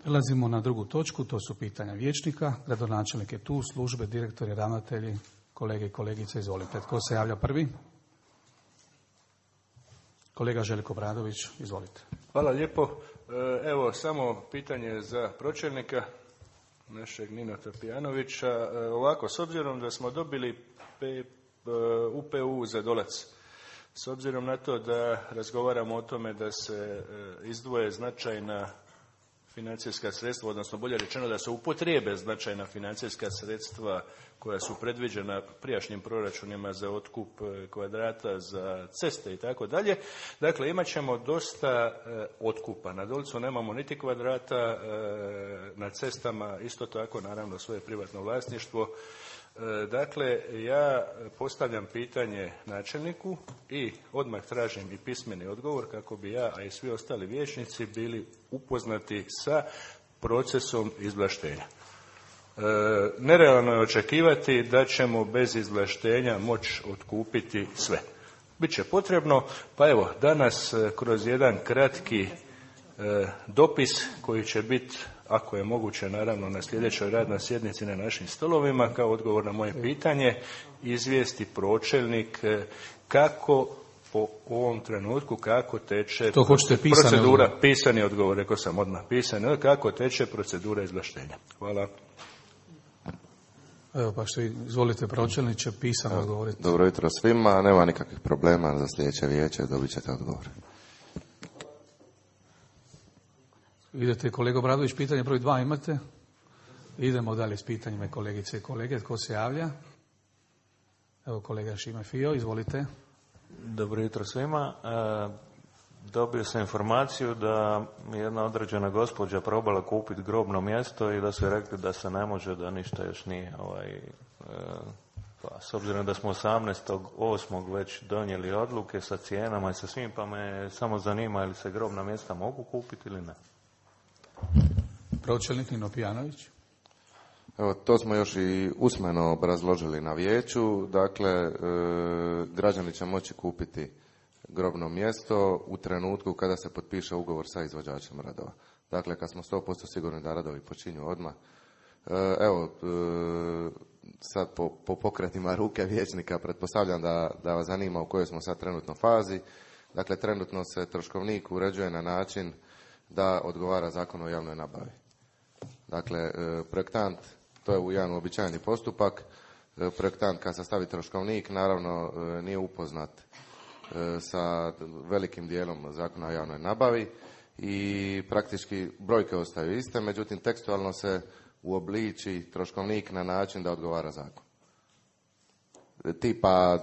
Prelazimo na drugu točku, to su pitanja vijećnika. Gradonačelnik je tu, službe, direktori, ravnatelji, kolege i kolegice, izvolite. Tko se javlja prvi? Kolega Željko Obradović, izvolite. Hvala lijepo. Evo, samo pitanje za pročelnika, našeg Nina Tapijanovića. Ovako, s obzirom da smo dobili UPU za Dolac, s obzirom na to da razgovaramo o tome da se izdvoje značajna financijska sredstva, odnosno bolje rečeno da se upotrijebe značajna financijska sredstva koja su predviđena prijašnjim proračunima za otkup kvadrata, za ceste i tako dalje. Dakle, imat ćemo dosta otkupa. Na Dolcu nemamo niti kvadrata, na cestama isto tako, naravno, svoje privatno vlasništvo. Dakle, ja postavljam pitanje načelniku i odmah tražim i pismeni odgovor kako bi ja, a i svi ostali vijećnici bili upoznati sa procesom izvlaštenja. Nerealno je očekivati da ćemo bez izvlaštenja moći otkupiti sve. Biće potrebno, pa evo, danas kroz jedan kratki dopis koji će biti, ako je moguće, naravno na sljedećoj radnoj sjednici na našim stolovima, kao odgovor na moje pitanje, izvijesti pročelnik kako po ovom trenutku, kako teče procedura, pisani odgovor, rekao sam odmah pisani, kako teče procedura izvlaštenja. Hvala. Evo, pa što izvolite pročelniče, pisano odgovoriti. Dobro jutro svima, nema nikakvih problema za sljedeće vijeće, dobit ćete odgovor. Idete, kolega Obradović, pitanje broj 2 imate? Idemo dalje s pitanjima, kolegice i kolege. Tko se javlja? Evo, kolega Šime Fio, izvolite. Dobro jutro svima. Dobio sam informaciju da jedna određena gospođa probala kupiti grobno mjesto i da su rekli da se ne može, da ništa još nije. Pa, s obzirom da smo 18.8. već donijeli odluke sa cijenama i sa svim, pa me samo zanima ili se grobna mjesta mogu kupiti ili ne. Pročelnik Nino Pijanović. Evo, to smo još i usmeno obrazložili na vijeću. Dakle, građani će moći kupiti grobno mjesto u trenutku kada se potpiše ugovor sa izvođačem radova. Dakle, kad smo 100% sigurni da radovi počinju odmah. Evo, sad po pokretima ruke vijećnika pretpostavljam da vas zanima u kojoj smo sad trenutno fazi. Dakle, trenutno se troškovnik uređuje na način da odgovara Zakon o javnoj nabavi. Dakle, projektant, to je jedan uobičajeni postupak, projektant kad sastavi troškovnik naravno nije upoznat sa velikim dijelom Zakona o javnoj nabavi i praktički brojke ostaju iste, međutim tekstualno se uobliči troškovnik na način da odgovara zakon. Tipa,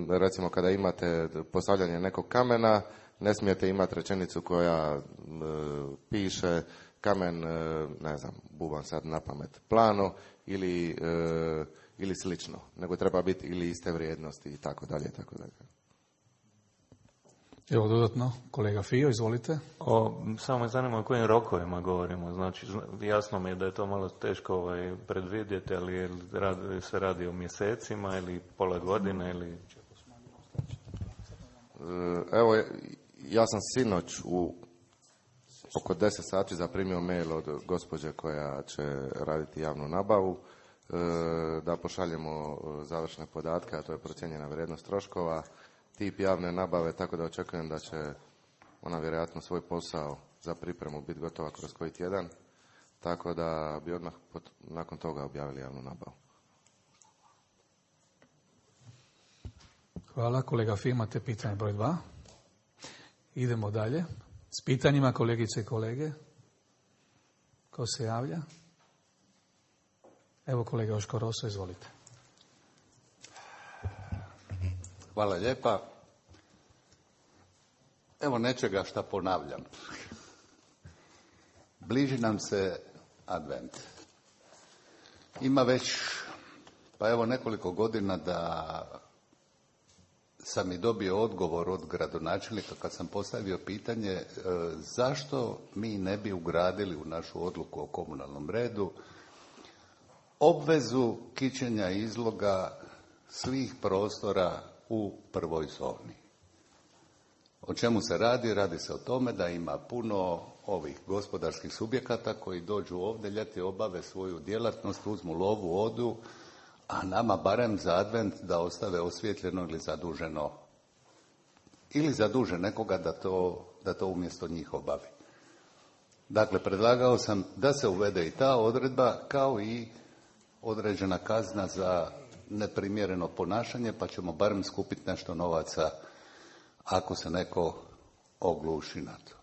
recimo kada imate postavljanje nekog kamena, ne smijete imati rečenicu koja piše kamen, ne znam, bubam sad na pamet, plano ili slično, nego treba biti ili iste vrijednosti i tako dalje, tako dalje. Evo dodatno, kolega Fio, izvolite. Samo me zanima o kojim rokovima govorimo. Znači, jasno mi je da je to malo teško predvidjeti, ali se radi o mjesecima ili pola godine ili... Evo, ja sam sinoć u oko 10 sati zaprimio mail od gospođe koja će raditi javnu nabavu, da pošaljemo završne podatke, a to je procijenjena vrijednost troškova, tip javne nabave, tako da očekujem da će ona vjerojatno svoj posao za pripremu biti gotova kroz koji tjedan, tako da bi odmah nakon toga objavili javnu nabavu. Hvala, kolega Fio, imate pitanje broj 2. Idemo dalje s pitanjima, kolegice i kolege. Ko se javlja? Evo, kolega Joško Roso, izvolite. Hvala lijepa. Evo nečega šta ponavljam. Bliži nam se advent. Ima već, pa evo nekoliko godina da sam i dobio odgovor od gradonačelnika kad sam postavio pitanje zašto mi ne bi ugradili u našu odluku o komunalnom redu obvezu kićenja izloga svih prostora u prvoj zoni. O čemu se radi? Radi se o tome da ima puno ovih gospodarskih subjekata koji dođu ovdje ljeti, obave svoju djelatnost, uzmu lovu, odu, a nama barem za advent da ostave osvjetljeno ili zaduženo, ili zaduže nekoga da to umjesto njih obavi. Dakle, predlagao sam da se uvede i ta odredba kao i određena kazna za neprimjereno ponašanje, pa ćemo barem skupiti nešto novaca ako se neko ogluši na to.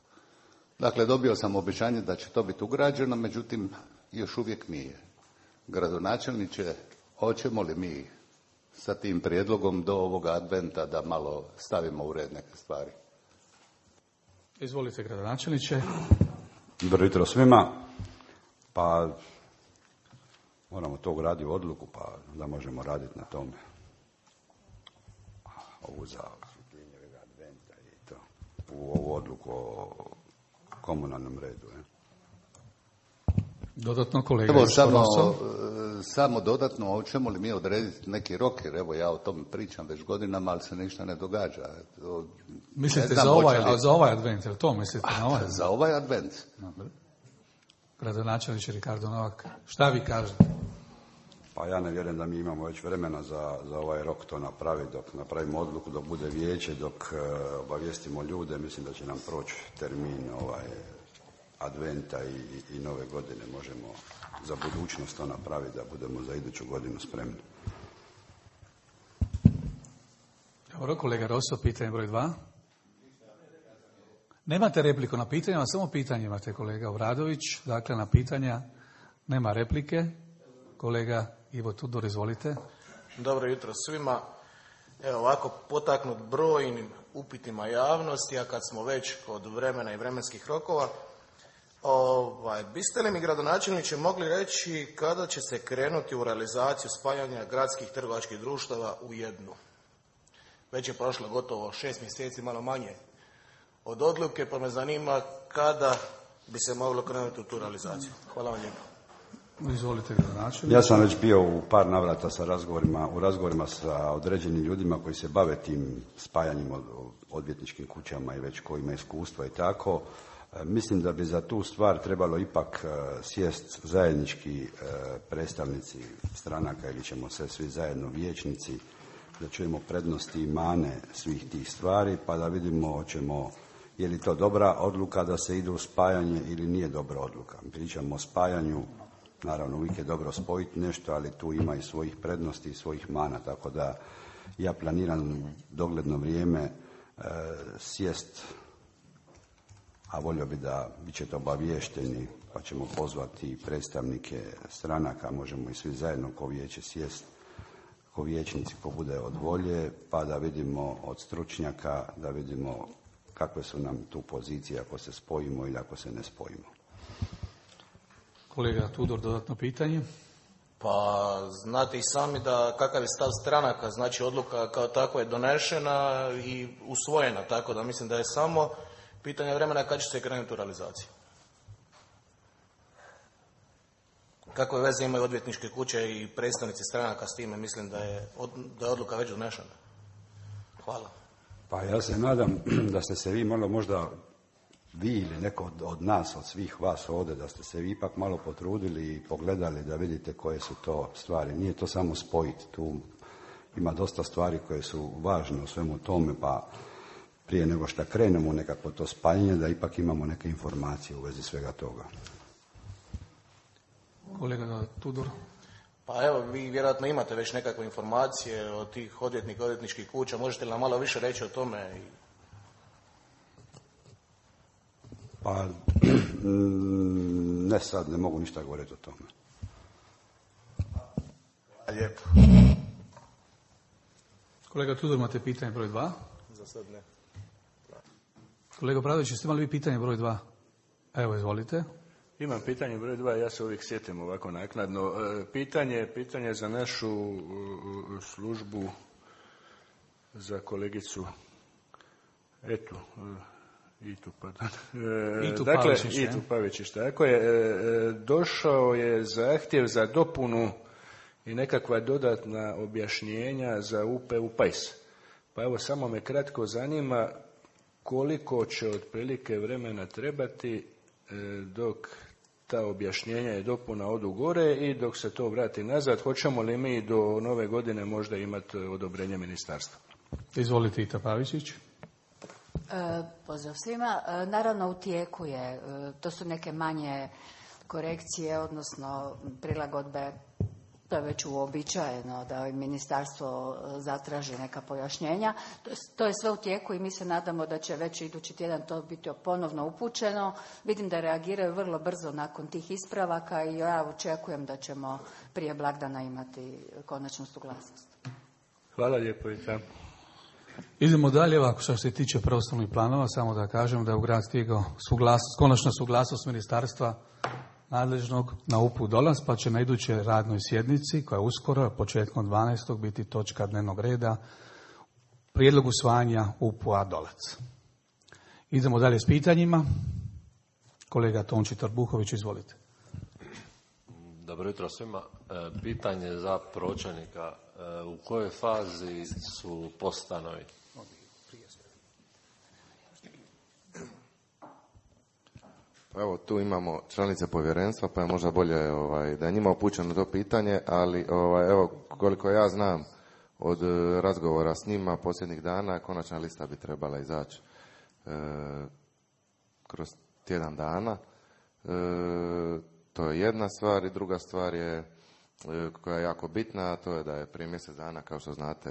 Dakle, dobio sam obećanje da će to biti ugrađeno, međutim, još uvijek nije. Gradonačelniče, hoćemo li mi sa tim prijedlogom do ovoga adventa da malo stavimo u red neke stvari? Izvolite, gradonačelniče. Dobro jutro svima. Pa moramo to ugraditi u odluku, pa da možemo raditi na tome. Ovu za osvjetljenje adventa i to. U ovu odluku o komunalnom redu. Dodatno, kolega. Evo, samo dodatno, hoćemo li mi odrediti neki rok, jer evo ja o tome pričam već godinama, ali se ništa ne događa. Mislite za ovaj advent, jel to mislite na ovaj? Za ovaj advent. Gradonačelniče Ricardo Novak, šta vi kažete? Pa ja ne vjerujem da mi imamo već vremena za ovaj rok to napraviti, dok napravimo odluku, dok bude vijeće, dok obavijestimo ljude, mislim da će nam proći termin adventa i nove godine. Možemo za budućnost to napraviti, da budemo za iduću godinu spremni. Dobro, kolega Rosso, pitanje broj 2. Nemate repliku na pitanjima, samo pitanje imate, kolega Obradović. Dakle, na pitanja nema replike. Kolega Ivo Tudor, izvolite. Dobro jutro svima. Evo ovako, potaknut brojnim upitima javnosti, a kad smo već kod vremena i vremenskih rokova, biste li mi, gradonačelniče, mogli reći kada će se krenuti u realizaciju spajanja gradskih trgovačkih društava u jednu? Već je prošlo gotovo 6 mjeseci, malo manje od odluke, pa me zanima kada bi se moglo krenuti u tu realizaciju. Hvala vam lijepo. Izvolite, gradonačelniče. Ja sam već bio u par navrata u razgovorima sa određenim ljudima koji se bave tim spajanjem odvjetničkim kućama i već koji imaju iskustva i tako. Mislim da bi za tu stvar trebalo ipak sjest zajednički predstavnici stranaka ili ćemo se svi zajedno vijećnici, da čujemo prednosti i mane svih tih stvari, pa da vidimo je li to dobra odluka da se ide u spajanje ili nije dobra odluka. Pričamo o spajanju, naravno uvijek je dobro spojiti nešto, ali tu ima i svojih prednosti i svojih mana, tako da ja planiram dogledno vrijeme sjest, a volio bi da bit ćete obaviješteni, pa ćemo pozvati predstavnike stranaka, možemo i svi zajedno ko vijeće sjest, ko vijećnici, ko bude od volje, pa da vidimo od stručnjaka, da vidimo kakve su nam tu pozicije ako se spojimo ili ako se ne spojimo. Kolega Tudor, dodatno pitanje. Pa znate i sami da kakav je stav stranaka, znači odluka kao takva je donešena i usvojena, tako da mislim da je samo pitanje vremena kad će se krenuti u realizaciju. Kakve veze imaju odvjetničke kuće i predstavnici stranaka s time, mislim da je odluka već donešena. Hvala. Pa ja se nadam da ste se vi malo možda, vi ili neko od nas, od svih vas ovdje, da ste se vi ipak malo potrudili i pogledali da vidite koje su to stvari. Nije to samo spojiti, tu ima dosta stvari koje su važne u svemu tome, pa prije nego što krenemo u nekako to spajanje, da ipak imamo neke informacije u vezi svega toga. Kolega Tudor. Pa evo, vi vjerojatno imate već nekakve informacije od tih odvjetničkih kuća. Možete li nam malo više reći o tome? Pa, ne sad, ne mogu ništa govoriti o tome. Lijepo. Kolega Tudor, imate pitanje broj 2? Za sad ne. Kolega Bradović, jeste imali vi pitanje broj 2? Evo, izvolite. Imam pitanje broj 2, ja se uvijek sjetim ovako naknadno. Pitanje za našu službu, za kolegicu Itu Pavičić, tako je. Došao je zahtjev za dopunu i nekakva dodatna objašnjenja za UPU PAJS. Pa evo, samo me kratko zanima koliko će otprilike vremena trebati dok ta objašnjenja i dopuna odu gore i dok se to vrati nazad, hoćemo li mi do nove godine možda imati odobrenje ministarstva? Izvolite, Ita Pavičić. Pozdrav svima. Naravno u tijeku je, to su neke manje korekcije, odnosno prilagodbe, to je već uobičajeno da ministarstvo zatraži neka pojašnjenja. To je sve u tijeku i mi se nadamo da će već idući tjedan to biti ponovno upućeno. Vidim da reagiraju vrlo brzo nakon tih ispravaka i ja očekujem da ćemo prije blagdana imati konačnu suglasnost. Hvala lijepo, Ita. Idemo dalje, ovako što se tiče prostornih planova, samo da kažem da je u grad stigao konačna suglasnost ministarstva nadležnog na UP-u Dolac, pa će na idućoj radnoj sjednici, koja je uskoro, početkom 12. biti točka dnevnog reda, prijedlog usvajanja UP-a Dolac. Idemo dalje s pitanjima. Kolega Tonči Trbuhović, izvolite. Dobro jutro svima. Pitanje za pročelnika. U kojoj fazi su postanovi? Evo, tu imamo članice povjerenstva, pa je možda bolje da je njima upućeno to pitanje, ali evo, koliko ja znam od razgovora s njima posljednjih dana, konačna lista bi trebala izaći kroz tjedan dana. To je jedna stvar i druga stvar je koja je jako bitna, a to je da je prije mjesec dana, kao što znate,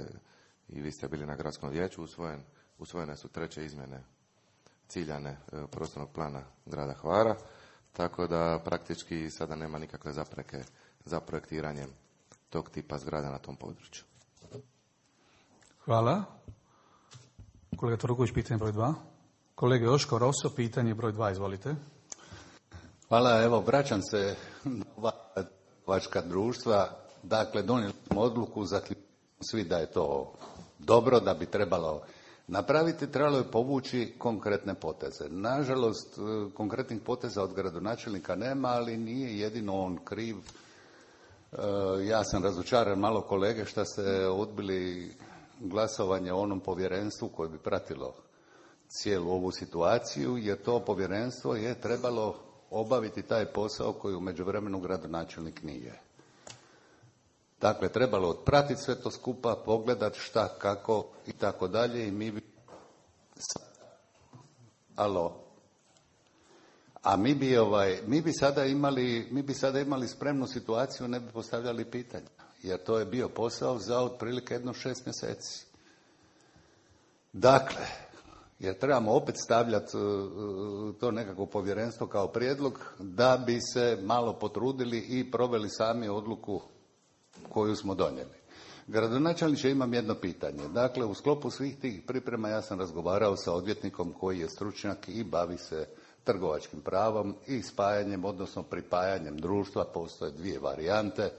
i vi ste bili na gradskom vijeću, usvojene su 3. izmjene ciljane prostornog plana grada Hvara, tako da praktički sada nema nikakve zapreke za projektiranjem tog tipa zgrada na tom području. Hvala. Kolega Torković, pitanje broj 2. Kolega Joško Roso, pitanje broj 2, izvolite. Hvala, evo, vraćam se na trgovačka društva. Dakle, donijeli smo odluku, zaključili svi da je to dobro, da bi trebalo napraviti, trebalo je povući konkretne poteze. Nažalost, konkretnih poteza od gradonačelnika nema, ali nije jedino on kriv. Ja sam razočaran malo kolege što ste odbili glasovanje o onom povjerenstvu koje bi pratilo cijelu ovu situaciju, jer to povjerenstvo je trebalo obaviti taj posao koji u međuvremenu gradonačelnik nije. Dakle, trebalo otpratiti sve to skupa, pogledati šta, kako i tako dalje i mi bi... A mi bi sada imali spremnu situaciju, ne bi postavljali pitanja, jer to je bio posao za otprilike 6 mjeseci. Dakle, jer trebamo opet stavljati to nekako povjerenstvo kao prijedlog da bi se malo potrudili i proveli sami odluku koju smo donijeli. Gradonačelniče, imam jedno pitanje. Dakle, u sklopu svih tih priprema ja sam razgovarao sa odvjetnikom koji je stručnjak i bavi se trgovačkim pravom i spajanjem, odnosno pripajanjem društva. Postoje 2 varijante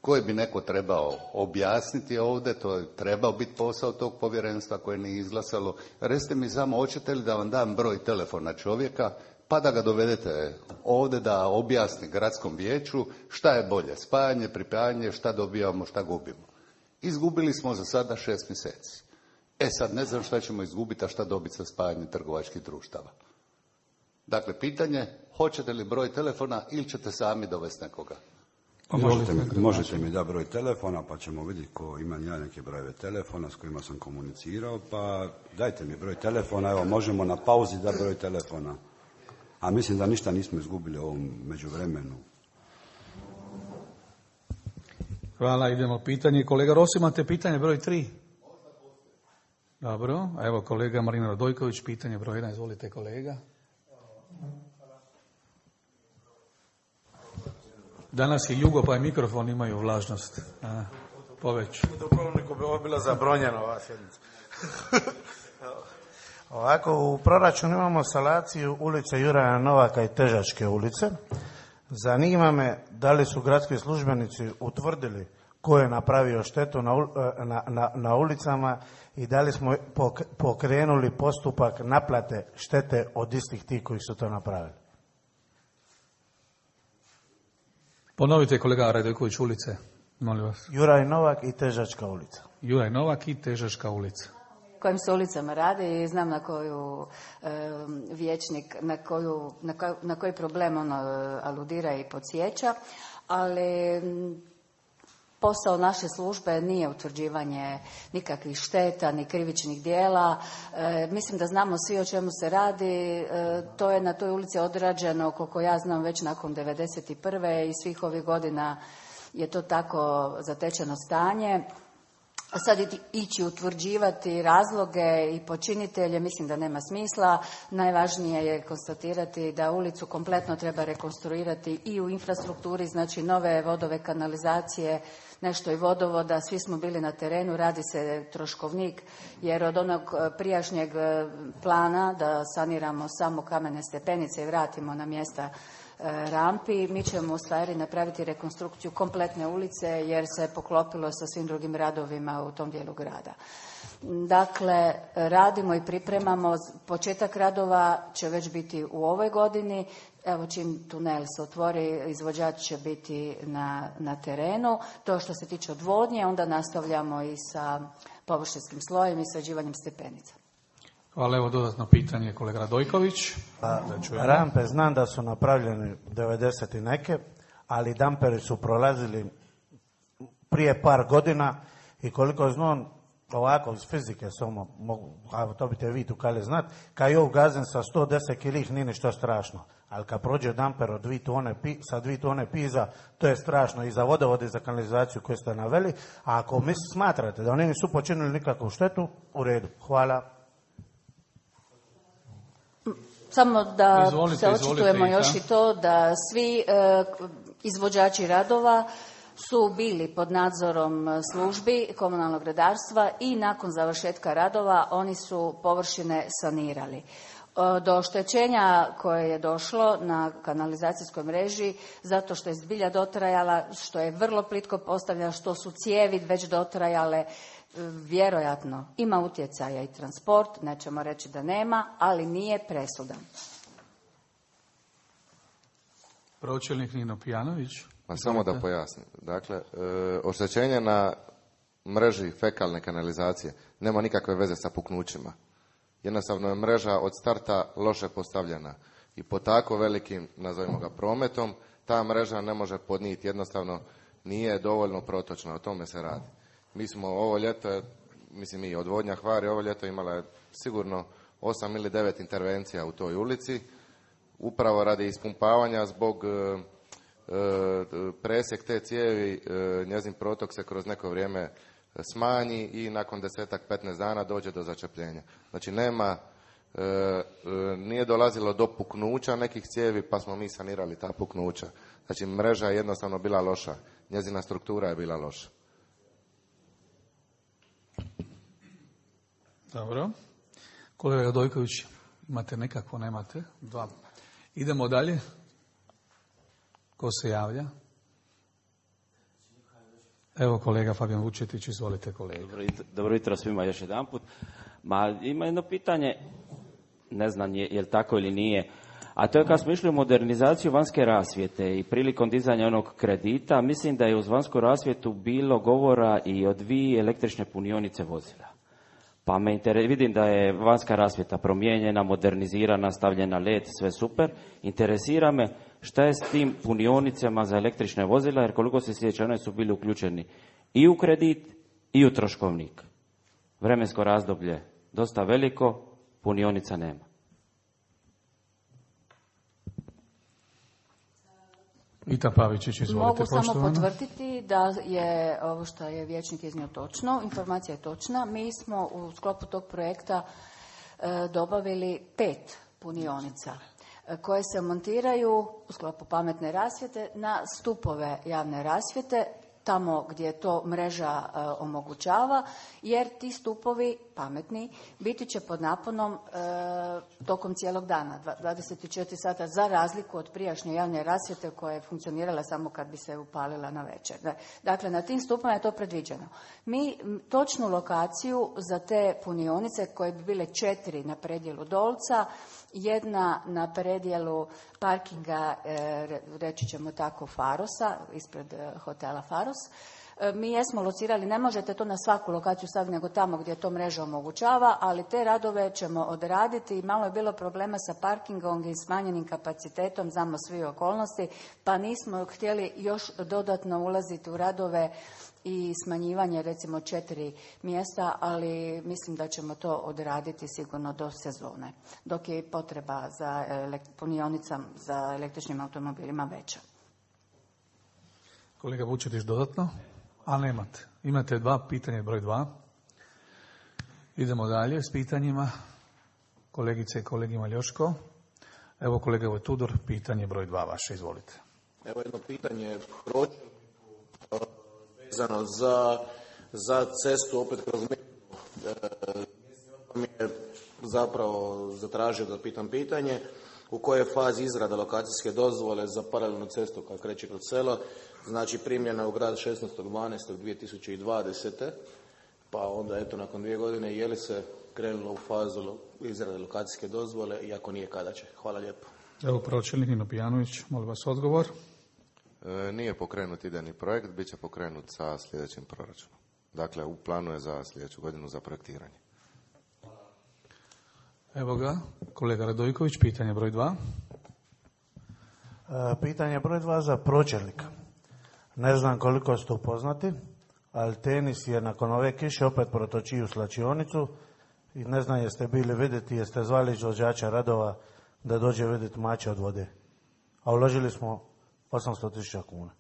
koje bi neko trebao objasniti ovdje. To je trebao biti posao tog povjerenstva koje nije izglasalo. Recite mi samo, hoćete li da vam dam broj telefona čovjeka pa da ga dovedete ovdje da objasni gradskom vijeću šta je bolje, spajanje, pripajanje, šta dobijamo, šta gubimo. Izgubili smo za sada 6 mjeseci. Sad ne znam šta ćemo izgubiti, a šta dobiti sa spajanjem trgovačkih društava. Dakle, pitanje, hoćete li broj telefona ili ćete sami dovesti nekoga? Možete mi dati broj telefona, pa ćemo vidjeti ko ima ja neke brojeve telefona s kojima sam komunicirao, pa dajte mi broj telefona, evo možemo na pauzi dati broj telefona. A mislim da ništa nismo izgubili u ovom međuvremenu. Hvala, idemo pitanje. Kolega Rossi, imate pitanje broj 3? Dobro, evo kolega Marina Radojković, pitanje broj 1, izvolite kolega. Danas je jugo, pa je mikrofon imaju vlažnost. Poveć. U Dubrovniku bi ovo bilo zabronjeno, ova sjednica. Ovako, u proračunu imamo salaciju ulice Juraja Novaka i Težačke ulice. Zanima me da li su gradski službenici utvrdili ko je napravio štetu na ulicama i da li smo pokrenuli postupak naplate štete od istih tih koji su to napravili. Ponovite kolega Radojković ulice, molim vas. Juraj Novak i Težačka ulica. Juraj Novak i Težačka ulica. kojim se ulicama radi i znam na koju vijećnik, na koji problem ono aludira i podsjeća, ali posao naše službe nije utvrđivanje nikakvih šteta ni krivičnih djela. Mislim da znamo svi o čemu se radi. To je na toj ulici odrađeno, koliko ja znam, već nakon 1991. i svih ovih godina je to tako zatečeno stanje. A sad ići utvrđivati razloge i počinitelje, mislim da nema smisla. Najvažnije je konstatirati da ulicu kompletno treba rekonstruirati i u infrastrukturi, znači nove vodove, kanalizacije, nešto i vodovoda. Svi smo bili na terenu, radi se troškovnik, jer od onog prijašnjeg plana da saniramo samo kamene stepenice i vratimo na mjesta rampi, mi ćemo u stvari napraviti rekonstrukciju kompletne ulice jer se poklopilo sa svim drugim radovima u tom dijelu grada. Dakle, radimo i pripremamo. Početak radova će već biti u ovoj godini. Evo, čim tunel se otvori, izvođač će biti na terenu. To što se tiče odvodnje, onda nastavljamo i sa površinskim slojem i sređivanjem stepenica. Hvala, evo dodatno pitanje kolega Radojković. Rampe znam da su napravljene 90 i neke, ali damperi su prolazili prije par godina i koliko znam, ovako iz fizike samo mogu, a to biste vi tu kali znat, kad je ugazen sa 110 kilih nije ništa strašno, ali kad prođe damper od 2 tone sa 2 tone piza, to je strašno i za vodovod i za kanalizaciju koju ste naveli, a ako smatrate da oni nisu počinili nikakvu štetu, u redu. Hvala. Samo da se očitujemo još i to da svi izvođači radova su bili pod nadzorom službi komunalnog redarstva i nakon završetka radova oni su površine sanirali. Do oštećenja koje je došlo na kanalizacijskoj mreži, zato što je zbilja dotrajala, što je vrlo plitko postavljena, što su cijevi već dotrajale, vjerojatno ima utjecaja i transport, nećemo reći da nema, ali nije presudan. Pročelnik Nino Pijanović. Pa samo da pojasnim. Dakle, oštećenje na mreži fekalne kanalizacije nema nikakve veze sa puknućima. Jednostavno je mreža od starta loše postavljena i po tako velikim, nazovimo ga, prometom, ta mreža ne može podnijeti, jednostavno nije dovoljno protočna, o tome se radi. Mi smo ovo ljeto, mislim i odvodnja Hvar je ovo ljeto imala sigurno 8 ili 9 intervencija u toj ulici, upravo radi ispumpavanja zbog presjek te cijevi, njezin protok se kroz neko vrijeme smanji i nakon 10-15 dana dođe do začepljenja. Znači nije dolazilo do puknuća nekih cijevi pa smo mi sanirali ta puknuća. Znači mreža je jednostavno bila loša, njezina struktura je bila loša. Dobro. Kolega Radojković, imate nekako, nemate? Dva. Idemo dalje. Ko se javlja? Evo kolega Fabijan Vučetić, izvolite kolega. Dobro jutro svima još jedanput. Ima jedno pitanje, ne znam je li tako ili nije, a to je kad smo išli u modernizaciju vanjske rasvjete i prilikom dizanja onog kredita, mislim da je uz vanjsku rasvjetu bilo govora i o 2 električne punionice vozila. Pa vidim da je vanjska rasvjeta promijenjena, modernizirana, stavljena LED, sve super. Interesira me šta je s tim punionicama za električne vozila, jer koliko se sjeća, one su bili uključeni i u kredit i u troškovnik. Vremensko razdoblje dosta veliko, punionica nema. Vita Pavičić, izvolite. Mogu poštovana. samo potvrditi da je ovo što je vijećnik iznio točno, informacija je točna. Mi smo u sklopu tog projekta dobavili 5 punionica koje se montiraju u sklopu pametne rasvjete na stupove javne rasvjete, tamo gdje to mreža omogućava, jer ti stupovi pametni biti će pod naponom tokom cijelog dana, 24 sata, za razliku od prijašnje javne rasvjete koja je funkcionirala samo kad bi se upalila na večer. Dakle, na tim stupovima je to predviđeno. Mi točnu lokaciju za te punionice, koje bi bile 4 na predjelu Dolca, 1 na predjelu parkinga, reći ćemo tako, Farosa, ispred hotela Faros, Mi jesmo locirali, ne možete to na svaku lokaciju staviti, nego tamo gdje to mreža omogućava, ali te radove ćemo odraditi. Malo je bilo problema sa parkingom i smanjenim kapacitetom, znamo svi okolnosti, pa nismo htjeli još dodatno ulaziti u radove i smanjivanje recimo 4 mjesta, ali mislim da ćemo to odraditi sigurno do sezone, dok je potreba za punionicama za električnim automobilima veća. Kolega Vučetić dodatno? A nemate. Imate pitanje broj 2. Idemo dalje s pitanjima. Kolegice i kolegi Maljoško. Evo kolega Tudor, pitanje broj 2 vaše, izvolite. Evo jedno pitanje vezano za cestu opet kroz mi je zapravo zatražio da pitam pitanje u kojoj je fazi izrada lokacijske dozvole za paralelnu cestu koja kreće kroz selo, znači primljena u grad 16.12.2020. Pa onda eto nakon 2 godine je li se krenulo u fazu izrade lokacijske dozvole i ako nije kada će? Hvala lijepo. Evo pročelnik Nino Pijanović, molim vas odgovor. Nije pokrenut idejni projekt, bit će pokrenut sa sljedećim proračunom. Dakle, u planu je za sljedeću godinu za projektiranje. Evo ga, kolega Radojković, pitanje broj 2. Pitanje broj 2 za pročelnika. Ne znam koliko ste upoznati, ali tenis je nakon ove kiše opet protočio u slačionicu i ne znam jeste bili vidjeti, jeste zvali izvođača radova da dođe vidjeti mače od vode. A uložili smo 800.000 kuna.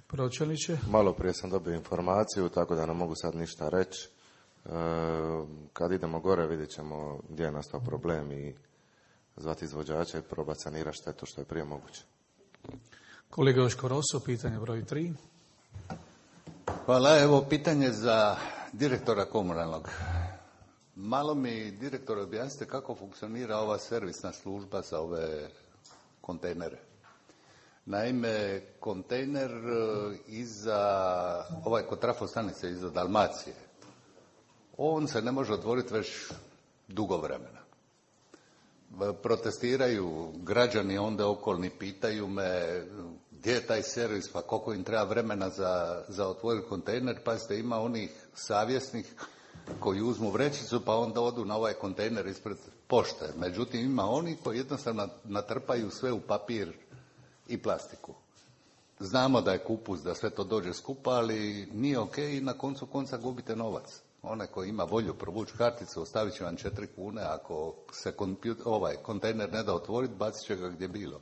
Pročelniče? Malo prije sam dobio informaciju, tako da ne mogu sad ništa reći. Kad idemo gore vidjet ćemo gdje je nastao problem i zvati izvođača i probati sanirati štetu što je prije moguće. Kolega Joško Roso, pitanje broj 3. Hvala, evo pitanje za direktora komunalnog. Malo mi, direktor, objasnite kako funkcionira ova servisna služba za ove kontejnere. Naime, kontejner kod trafostanice iza Dalmacije, on se ne može otvoriti već dugo vremena. Protestiraju građani onda okolni, pitaju me gdje je taj servis, pa koliko im treba vremena za otvoriti kontejner. Pazite, ima onih savjesnih koji uzmu vrećicu pa onda odu na ovaj kontejner ispred pošte. Međutim, ima oni koji jednostavno natrpaju sve u papir i plastiku. Znamo da je kupus, da sve to dođe skupa, ali nije ok i na koncu konca gubite novac. Onaj koji ima volju provući karticu, ostavit će vam 4 kune, ako se kontejner ne da otvoriti, bacit će ga gdje bilo.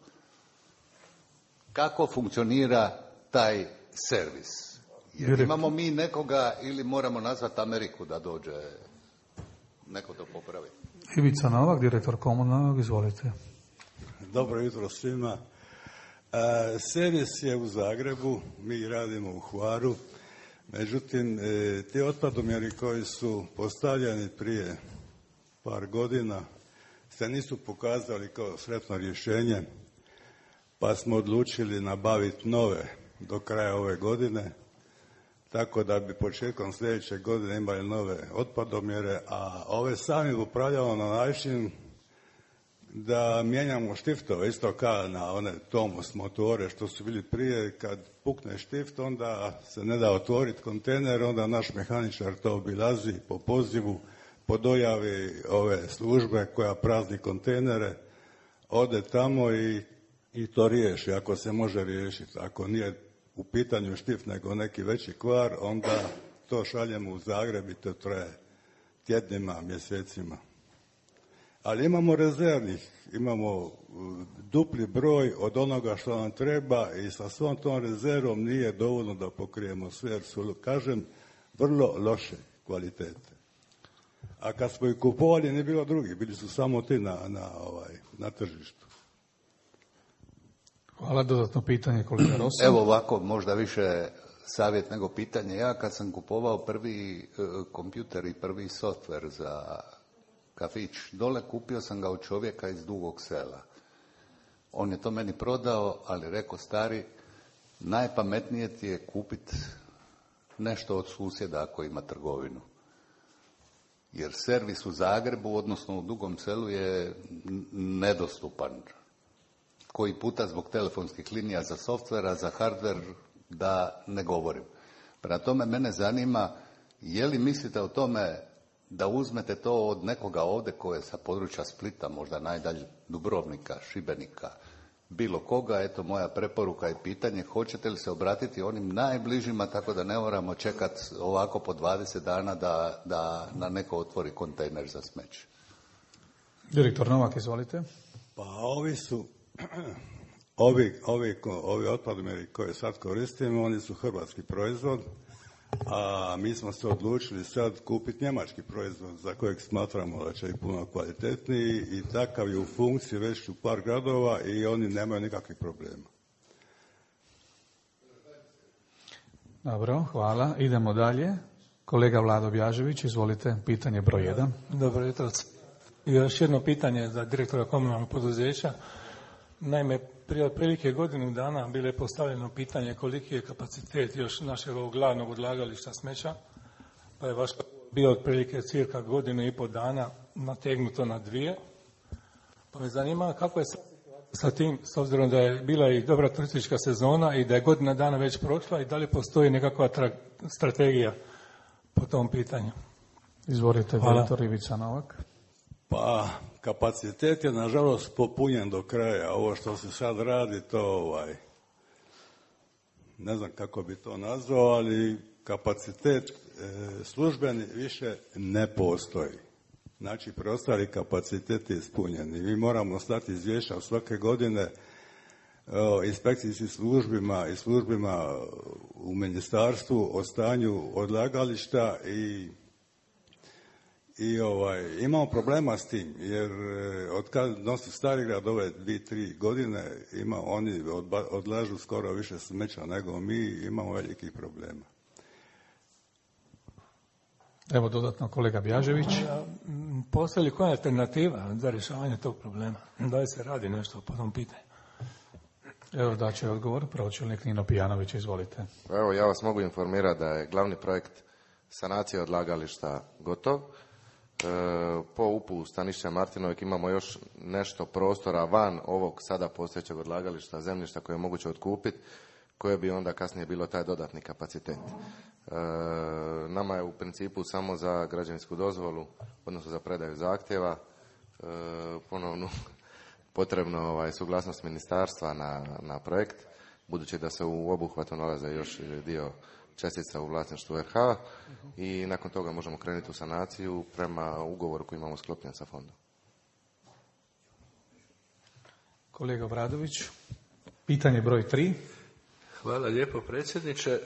Kako funkcionira taj servis? Jer imamo mi nekoga ili moramo nazvati Ameriku da dođe neko to popravi? Ivica Novak, direktor komunalnog, izvolite. Dobro jutro svima. Servis je u Zagrebu, mi radimo u Hvaru. Međutim, ti otpadomjeri koji su postavljeni prije par godina se nisu pokazali kao sretno rješenje, pa smo odlučili nabaviti nove do kraja ove godine, tako da bi početkom sljedeće godine imali nove otpadomjere, a ove sami upravljamo na način da mijenjamo štiftove, isto kao na one Tomos motore što su bili prije. Kad pukne štift, onda se ne da otvoriti kontejner, onda naš mehaničar to obilazi po pozivu, po dojavi ove službe koja prazni kontejnere, ode tamo i to riješi, ako se može riješiti. Ako nije u pitanju štift nego neki veći kvar, onda to šaljemo u Zagreb i to traje tjednima, mjesecima. Ali imamo rezervnih, imamo dupli broj od onoga što nam treba i sa svom tom rezervom nije dovoljno da pokrijemo sve, jer su, kažem, vrlo loše kvalitete. A kad smo ih kupovali nije bilo drugih, bili su samo ti na tržištu. Hvala, dodatno pitanje kolega Rosa. Evo ovako, možda više savjet nego pitanje. Ja kad sam kupovao prvi kompjuter i prvi softver za kafić dole, kupio sam ga od čovjeka iz Dugog Sela. On je to meni prodao, ali rekao, stari, najpametnije ti je kupiti nešto od susjeda ako ima trgovinu. Jer servis u Zagrebu, odnosno u Dugom Selu, je nedostupan. Koji puta zbog telefonskih linija za softvera, za hardver, da ne govorim. Prema tome, mene zanima, je li mislite o tome da uzmete to od nekoga ovdje koje je sa područja Splita, možda najdalje Dubrovnika, Šibenika, bilo koga, eto moja preporuka i pitanje, hoćete li se obratiti onim najbližima tako da ne moramo čekati ovako po 20 dana da na neko otvori kontejner za smeće? Direktor Novak, izvolite. Pa ovi su, ovi otpadomjeri koje sad koristimo, oni su hrvatski proizvod, a mi smo se odlučili sad kupiti njemački proizvod za kojeg smatramo da će i puno kvalitetniji i takav je u funkciji već u par gradova i oni nemaju nikakvih problema. Dobro, hvala. Idemo dalje. Kolega Vlado Bjažević, izvolite, pitanje broj 1. Dobro jutro. Još jedno pitanje za direktora komunalnog poduzeća. Naime, prije otprilike godinu dana bilo je postavljeno pitanje koliki je kapacitet još našeg ovog glavnog odlagališta smeća, pa je vaš bio otprilike cirka godinu i pol dana nategnuto na 2. Pa me zanima kako je sa tim, s obzirom da je bila i dobra turistička sezona i da je godina dana već prošla i da li postoji nekakva strategija po tom pitanju? Izvolite, direktor Ivica Novak. Pa, kapacitet je nažalost popunjen do kraja. Ovo što se sad radi, to ne znam kako bi to nazvao, ali kapacitet službeni više ne postoji. Znači, preostali kapacitet je ispunjen. I mi moramo slati izvješća svake godine inspekcijskim službima i službima u ministarstvu o stanju odlagališta i imamo problema s tim, jer od kad nosi Starigrad ove 2-3 godine, oni odlažu skoro više smeća nego mi, imamo velikih problema. Evo dodatno kolega Bjažević. Postoji li koja alternativa za rješavanje tog problema? Da li se radi nešto po tom pitanju? Evo daće odgovor, pročelnik Nino Pijanović, izvolite. Evo, ja vas mogu informirati da je glavni projekt sanacije odlagališta gotov. Po UP-u Stanišća Martinovik imamo još nešto prostora van ovog sada postojećeg odlagališta zemljišta koje je moguće otkupiti, koje bi onda kasnije bilo taj dodatni kapacitet. Nama je u principu samo za građevinsku dozvolu, odnosno za predaju zahtjeva, ponovno potrebno suglasnost ministarstva na projekt, budući da se u obuhvatu nalaze još dio čestica u vlasništvu RH i nakon toga možemo krenuti u sanaciju prema ugovoru koji imamo sklopljen sa fondom. Kolega Bradović, pitanje broj 3. Hvala lijepo predsjedniče.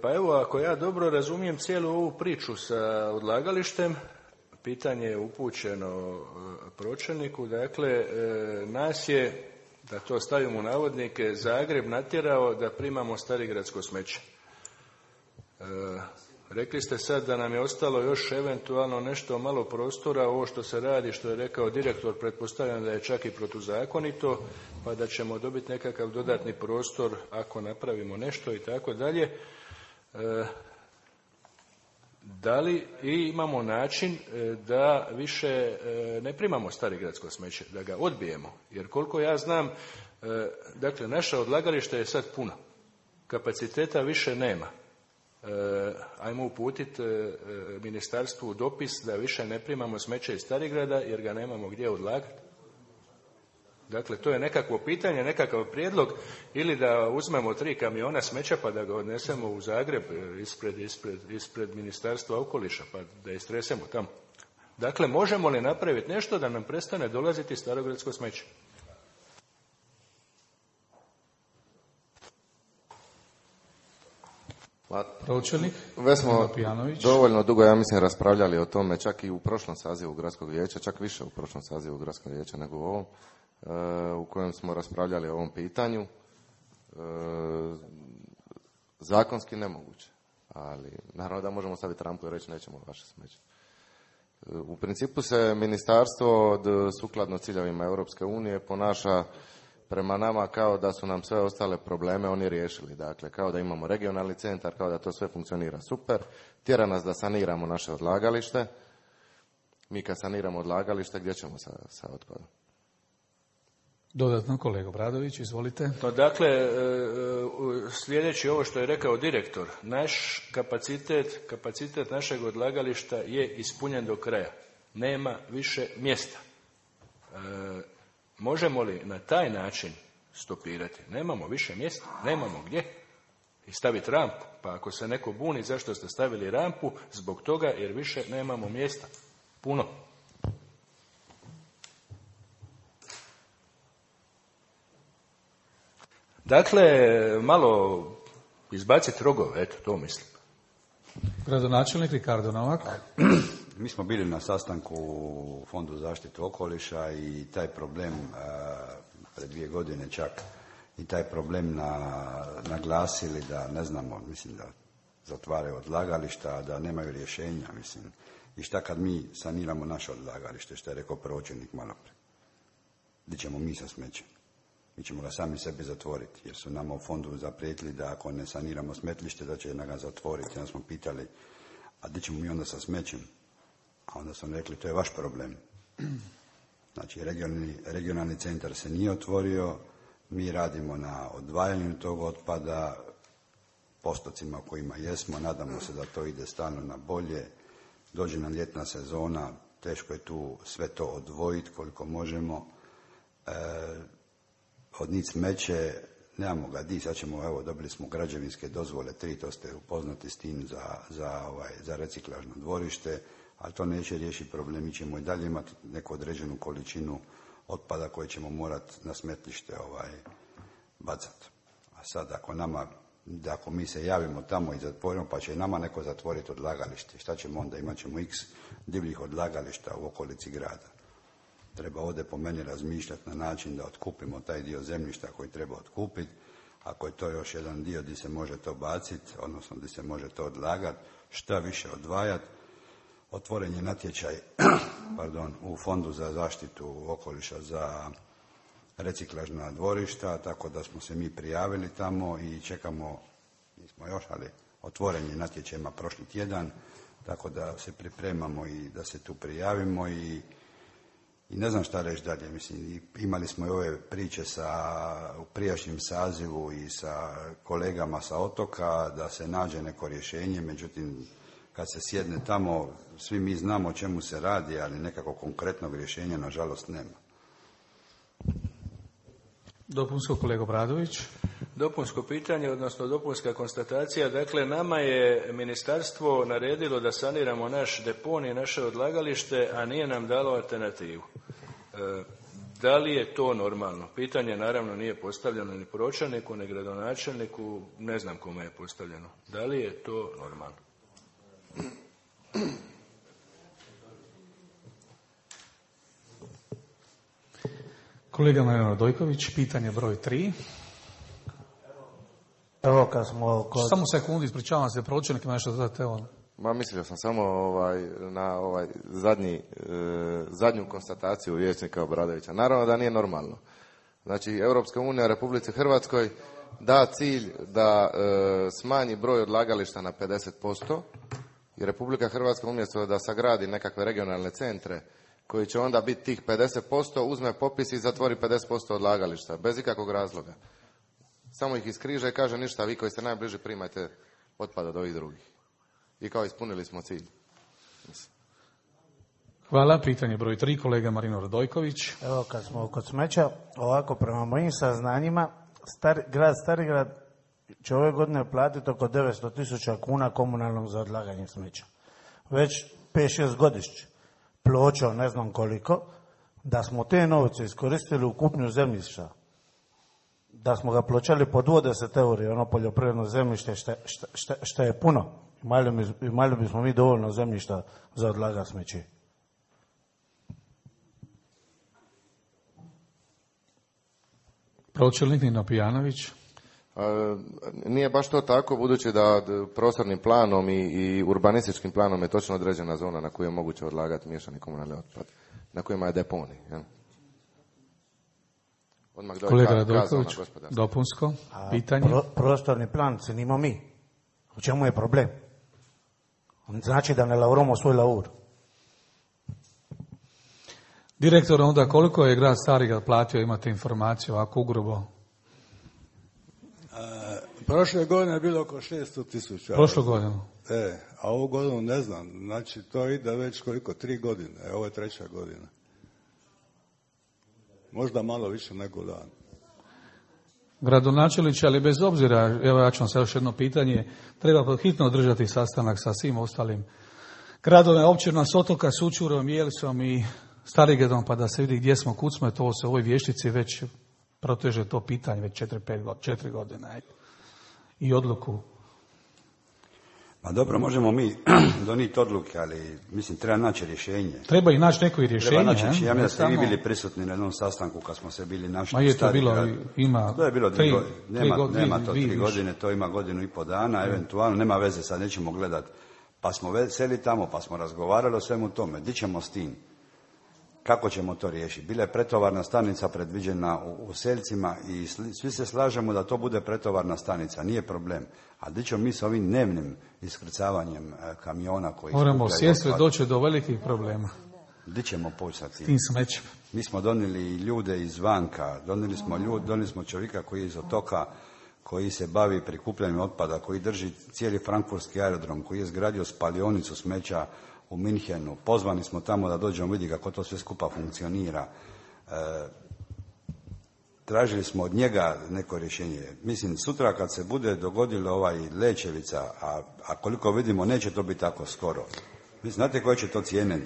Pa evo, ako ja dobro razumijem cijelu ovu priču sa odlagalištem, pitanje je upućeno pročelniku. Dakle, nas je, da to stavimo u navodnike, Zagreb natjerao da primamo starigradsko smeće. Rekli ste sad da nam je ostalo još eventualno nešto malo prostora, ovo što se radi, što je rekao direktor, pretpostavljam da je čak i protuzakonito, pa da ćemo dobiti nekakav dodatni prostor ako napravimo nešto i tako dalje. Da li imamo način da više ne primamo starigradsko smeće, da ga odbijemo? Jer koliko ja znam, dakle, naša odlagališta je sad puno, kapaciteta više nema. Ajmo uputiti ministarstvu dopis da više ne primamo smeće iz Starigrada jer ga nemamo gdje odlagati. Dakle, to je nekakvo pitanje, nekakav prijedlog, ili da uzmemo 3 kamiona smeća pa da ga odnesemo u Zagreb ispred Ministarstva okoliša pa da istresemo tamo. Dakle, možemo li napraviti nešto da nam prestane dolaziti starogradsko smeće? Pročelnik, već smo dovoljno dugo, ja mislim, raspravljali o tome, čak i u prošlom sazivu gradskog vijeća, čak više u prošlom sazivu gradskog vijeća nego u ovom, u kojem smo raspravljali o ovom pitanju. Zakonski nemoguće, ali naravno da možemo staviti rampu i reći nećemo vaše smeće. U principu se ministarstvo sukladno ciljevima Europske unije ponaša prema nama kao da su nam sve ostale probleme oni riješili. Dakle, kao da imamo regionalni centar, kao da to sve funkcionira super. Tjera nas da saniramo naše odlagalište. Mi kad saniramo odlagalište, gdje ćemo sa otpadom? Dodatno, kolega Bradović, izvolite. No, dakle, sljedeći ovo što je rekao direktor, naš kapacitet našeg odlagališta je ispunjen do kraja. Nema više mjesta. Možemo li na taj način stopirati? Nemamo više mjesta, nemamo gdje. I staviti rampu. Pa ako se neko buni zašto ste stavili rampu, zbog toga jer više nemamo mjesta. Puno. Dakle, malo izbaciti rogove, eto, to mislim. Gradonačelnik Ricardo Novak. Mi smo bili na sastanku u Fondu zaštitu okoliša i taj problem pred 2 godine čak i taj problem naglasili da ne znamo, mislim da zatvaraju odlagališta, da nemaju rješenja, mislim. I šta kad mi saniramo naše odlagalište, što je rekao pročelnik malo prije? Gdje ćemo mi sa smećem? Mi ćemo ga sami sebi zatvoriti, jer su nama u fondu zaprijetili da ako ne saniramo smetlište, da će ga zatvoriti. Onda smo pitali, a gdje ćemo mi onda sa smećem? A onda su rekli, to je vaš problem. Znači, regionalni centar se nije otvorio, mi radimo na odvajanju tog otpada, postocima u kojima jesmo, nadamo se da to ide stalno na bolje. Dođe nam ljetna sezona, teško je tu sve to odvojiti koliko možemo. Odnijet smeće, nemamo ga di, sad ćemo, evo, dobili smo građevinske dozvole 3, to ste upoznati s tim za reciklažno dvorište, ali to neće riješiti problem, mi ćemo i dalje imati neku određenu količinu otpada koje ćemo morati na smetlište bacati. A sad ako mi se javimo tamo i zatvorimo, pa će i nama neko zatvoriti odlagalište, šta ćemo onda? Imat ćemo x divljih odlagališta u okolici grada. Treba ovdje po meni razmišljati na način da otkupimo taj dio zemljišta koji treba otkupiti. Ako je to još jedan dio gdje se može to baciti, odnosno gdje se može to odlagati, šta više odvajati. Otvoren je natječaj u Fondu za zaštitu okoliša za reciklažna dvorišta, tako da smo se mi prijavili tamo i čekamo, nismo još, ali otvoren je natječajima prošli tjedan, tako da se pripremamo i da se tu prijavimo i ne znam šta reći dalje. Mislim, imali smo i ove priče u prijašnjem sazivu i sa kolegama sa otoka da se nađe neko rješenje, međutim kad se sjedne tamo svi mi znamo o čemu se radi, ali nekako konkretnog rješenja nažalost nema. Dopunsko, kolega Bradović. Dopunsko pitanje, odnosno dopunska konstatacija. Dakle, nama je ministarstvo naredilo da saniramo naš deponij, naše odlagalište, a nije nam dalo alternativu. Da li je to normalno? Pitanje naravno nije postavljeno ni pročelniku, ni gradonačelniku, ne znam kome je postavljeno. Da li je to normalno? Kolega Mario Dojković, pitanje broj 3. Evo kad smo... Samo sekundu, ispričavam se, pročelnik ima nešto dodati, evo. Ma mislio sam samo na zadnju konstataciju vijećnika Obradovića. Naravno da nije normalno. Znači, Europska unija Republici Hrvatskoj da cilj da smanji broj odlagališta na 50%, i Republika Hrvatska umjesto da sagradi nekakve regionalne centre koji će onda biti tih 50%, uzme popis i zatvori 50% odlagališta, bez ikakvog razloga. Samo ih iskriže i kaže ništa, vi koji ste najbliži primajte otpad od ovih drugih. I kao ispunili smo cilj. Hvala. Pitanje broj 3, kolega Marino Radojković. Evo kad smo kod smeća, ovako prema mojim saznanjima, grad Starigrad će ove godine platiti oko 900.000 kuna komunalnog za odlaganje smeća. Već 5-6 godišnje. Pločo, ne znam koliko, da smo te novce iskoristili u kupnju zemljišta, da smo ga pločali po 20 euri, ono poljoprivredno zemljište, što je puno. Imali bismo mi dovoljno zemljišta za odlagati smeće. Pročelnik Nino Pijanović. Nije baš to tako, budući da prostornim planom i urbanističkim planom je točno određena zona na kojoj je moguće odlagati miješani komunalni otpad, na kojima je deponij. Kolega Radojković, dopunsko pitanje. Prostorni plan cenimo mi. U čemu je problem? Znači da ne lauramo svoj laur. Direktor, onda koliko je grad Starigrad platio, imate informaciju, ovako ugrubo? Prošle godine je bilo oko 600.000. Prošlu godinu? A ovu godinu ne znam. Znači, to ide već koliko? 3 godine. Ovo je 3. godina. Možda malo više nego dan. Gradonačelniče, ali bez obzira, evo ja ću vam sad još jedno pitanje, treba hitno održati sastanak sa svim ostalim gradovima, općinama, s Otoka, Sućurom, Jelsom i Starigradom, pa da se vidi gdje smo, kud smo, to se u ovoj vještici već proteže to pitanje, već 4 godine. Ajde. I odluku. Pa dobro, možemo mi donijeti odluke, ali mislim treba naći rješenje. Treba i naći neko i rješenje. Ja mislim da ste vi bili prisutni na jednom sastanku kad smo se bili našli. Ma je to bilo, ima... To je bilo 3 godine. Nema to 3 godine, to ima 1,5 dana, eventualno, nema veze, sad nećemo gledati. Pa smo seli tamo, pa smo razgovarali o svemu tome. Di ćemo s tim? Kako ćemo to riješiti? Bila je pretovarna stanica predviđena u Seljcima i svi se slažemo da to bude pretovarna stanica, nije problem. A di ćemo mi s ovim dnevnim iskrcavanjem kamiona koji... Moramo sjesti doći do velikih problema. Di ćemo poći sa tim smećem? Mi smo donijeli ljude izvanka, donijeli smo čovjeka koji je iz Otoka, koji se bavi prikupljanjem otpada, koji drži cijeli frankfurtski aerodrom, koji je izgradio spalionicu smeća u Minhenu. Pozvani smo tamo da dođemo vidi kako to sve skupa funkcionira. Tražili smo od njega neko rješenje. Mislim, sutra kad se bude dogodilo Lećevica, a koliko vidimo neće to biti tako skoro. Mislim, znate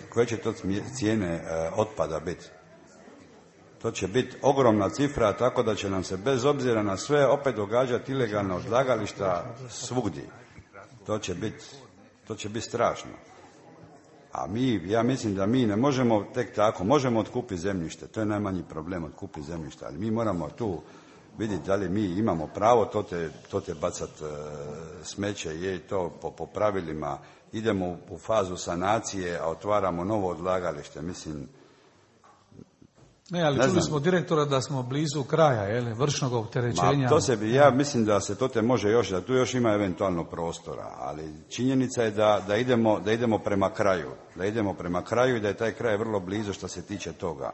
koje će to cijene otpada biti? To će biti ogromna cifra, tako da će nam se bez obzira na sve opet događati ilegalna odlagališta svugdje. To će biti strašno. A ja mislim da mi ne možemo tek tako, možemo otkupiti zemljište, to je najmanji problem, otkupiti zemljište, ali mi moramo tu vidjeti da li mi imamo pravo to te bacat smeće, je to po pravilima, idemo u fazu sanacije, a otvaramo novo odlagalište, mislim. Ne, ali čuli smo direktora da smo blizu kraja, vršnog opterećenja. Ja mislim da se to može još, da tu još ima eventualno prostora, ali činjenica je da idemo prema kraju i da je taj kraj vrlo blizu što se tiče toga.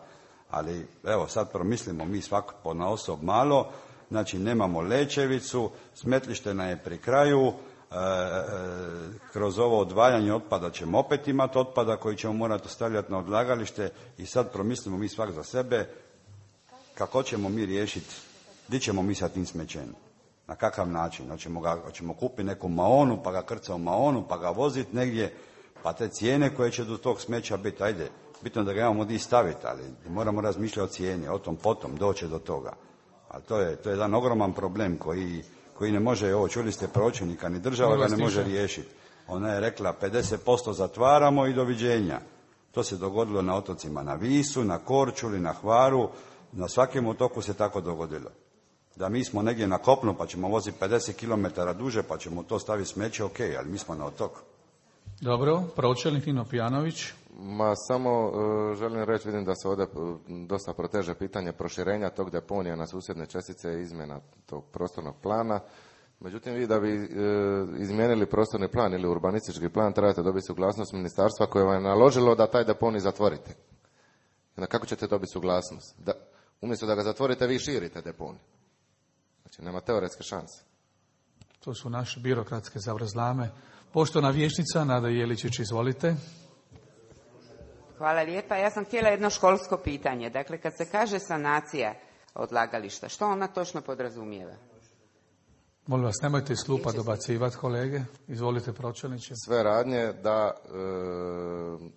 Ali evo sad promislimo mi svako ponaosob malo, znači nemamo Lećevicu, smetlište nam je pri kraju, kroz ovo odvajanje otpada ćemo opet imati otpada koji ćemo morati ostavljati na odlagalište i sad promislimo mi svak za sebe kako ćemo mi riješiti, gdje ćemo mi sa tim smećem, na kakav način, hoćemo kupiti neku maonu pa ga krca u maonu pa ga voziti negdje, pa te cijene koje će do tog smeća biti, ajde, bitno da ga imamo gdje staviti, ali moramo razmišljati o cijeni, o tom potom doće do toga, ali to je jedan ogroman problem koji ne može, čuli ste pročelnika, ni država ga ne može riješiti. Ona je rekla 50% zatvaramo i doviđenja. To se dogodilo na otocima, na Visu, na Korčuli, na Hvaru, na svakom otoku se tako dogodilo. Da mi smo negdje na kopnu pa ćemo voziti 50 km duže pa ćemo to staviti smeće, ok, ali mi smo na otoku. Dobro, pročelnik Nino Pijanović. Ma samo želim reći, vidim da se ovdje dosta proteže pitanje proširenja tog deponija na susjedne čestice i izmjena tog prostornog plana. Međutim, vi da bi izmijenili prostorni plan ili urbanistički plan trebate dobiti suglasnost ministarstva koje vam je naložilo da taj deponij zatvorite. Na kako ćete dobiti suglasnost? Umjesto da ga zatvorite, vi širite deponij. Znači, nema teoretske šanse. To su naše birokratske zavrzlame. Poštovana vijećnica Nada Jeličić, izvolite. Hvala lijepa. Ja sam htjela jedno školsko pitanje. Dakle, kad se kaže sanacija odlagališta, što ona točno podrazumijeva? Molim vas, nemojte iz klupa dobacivati, kolege. Izvolite, pročelniče. Sve radnje da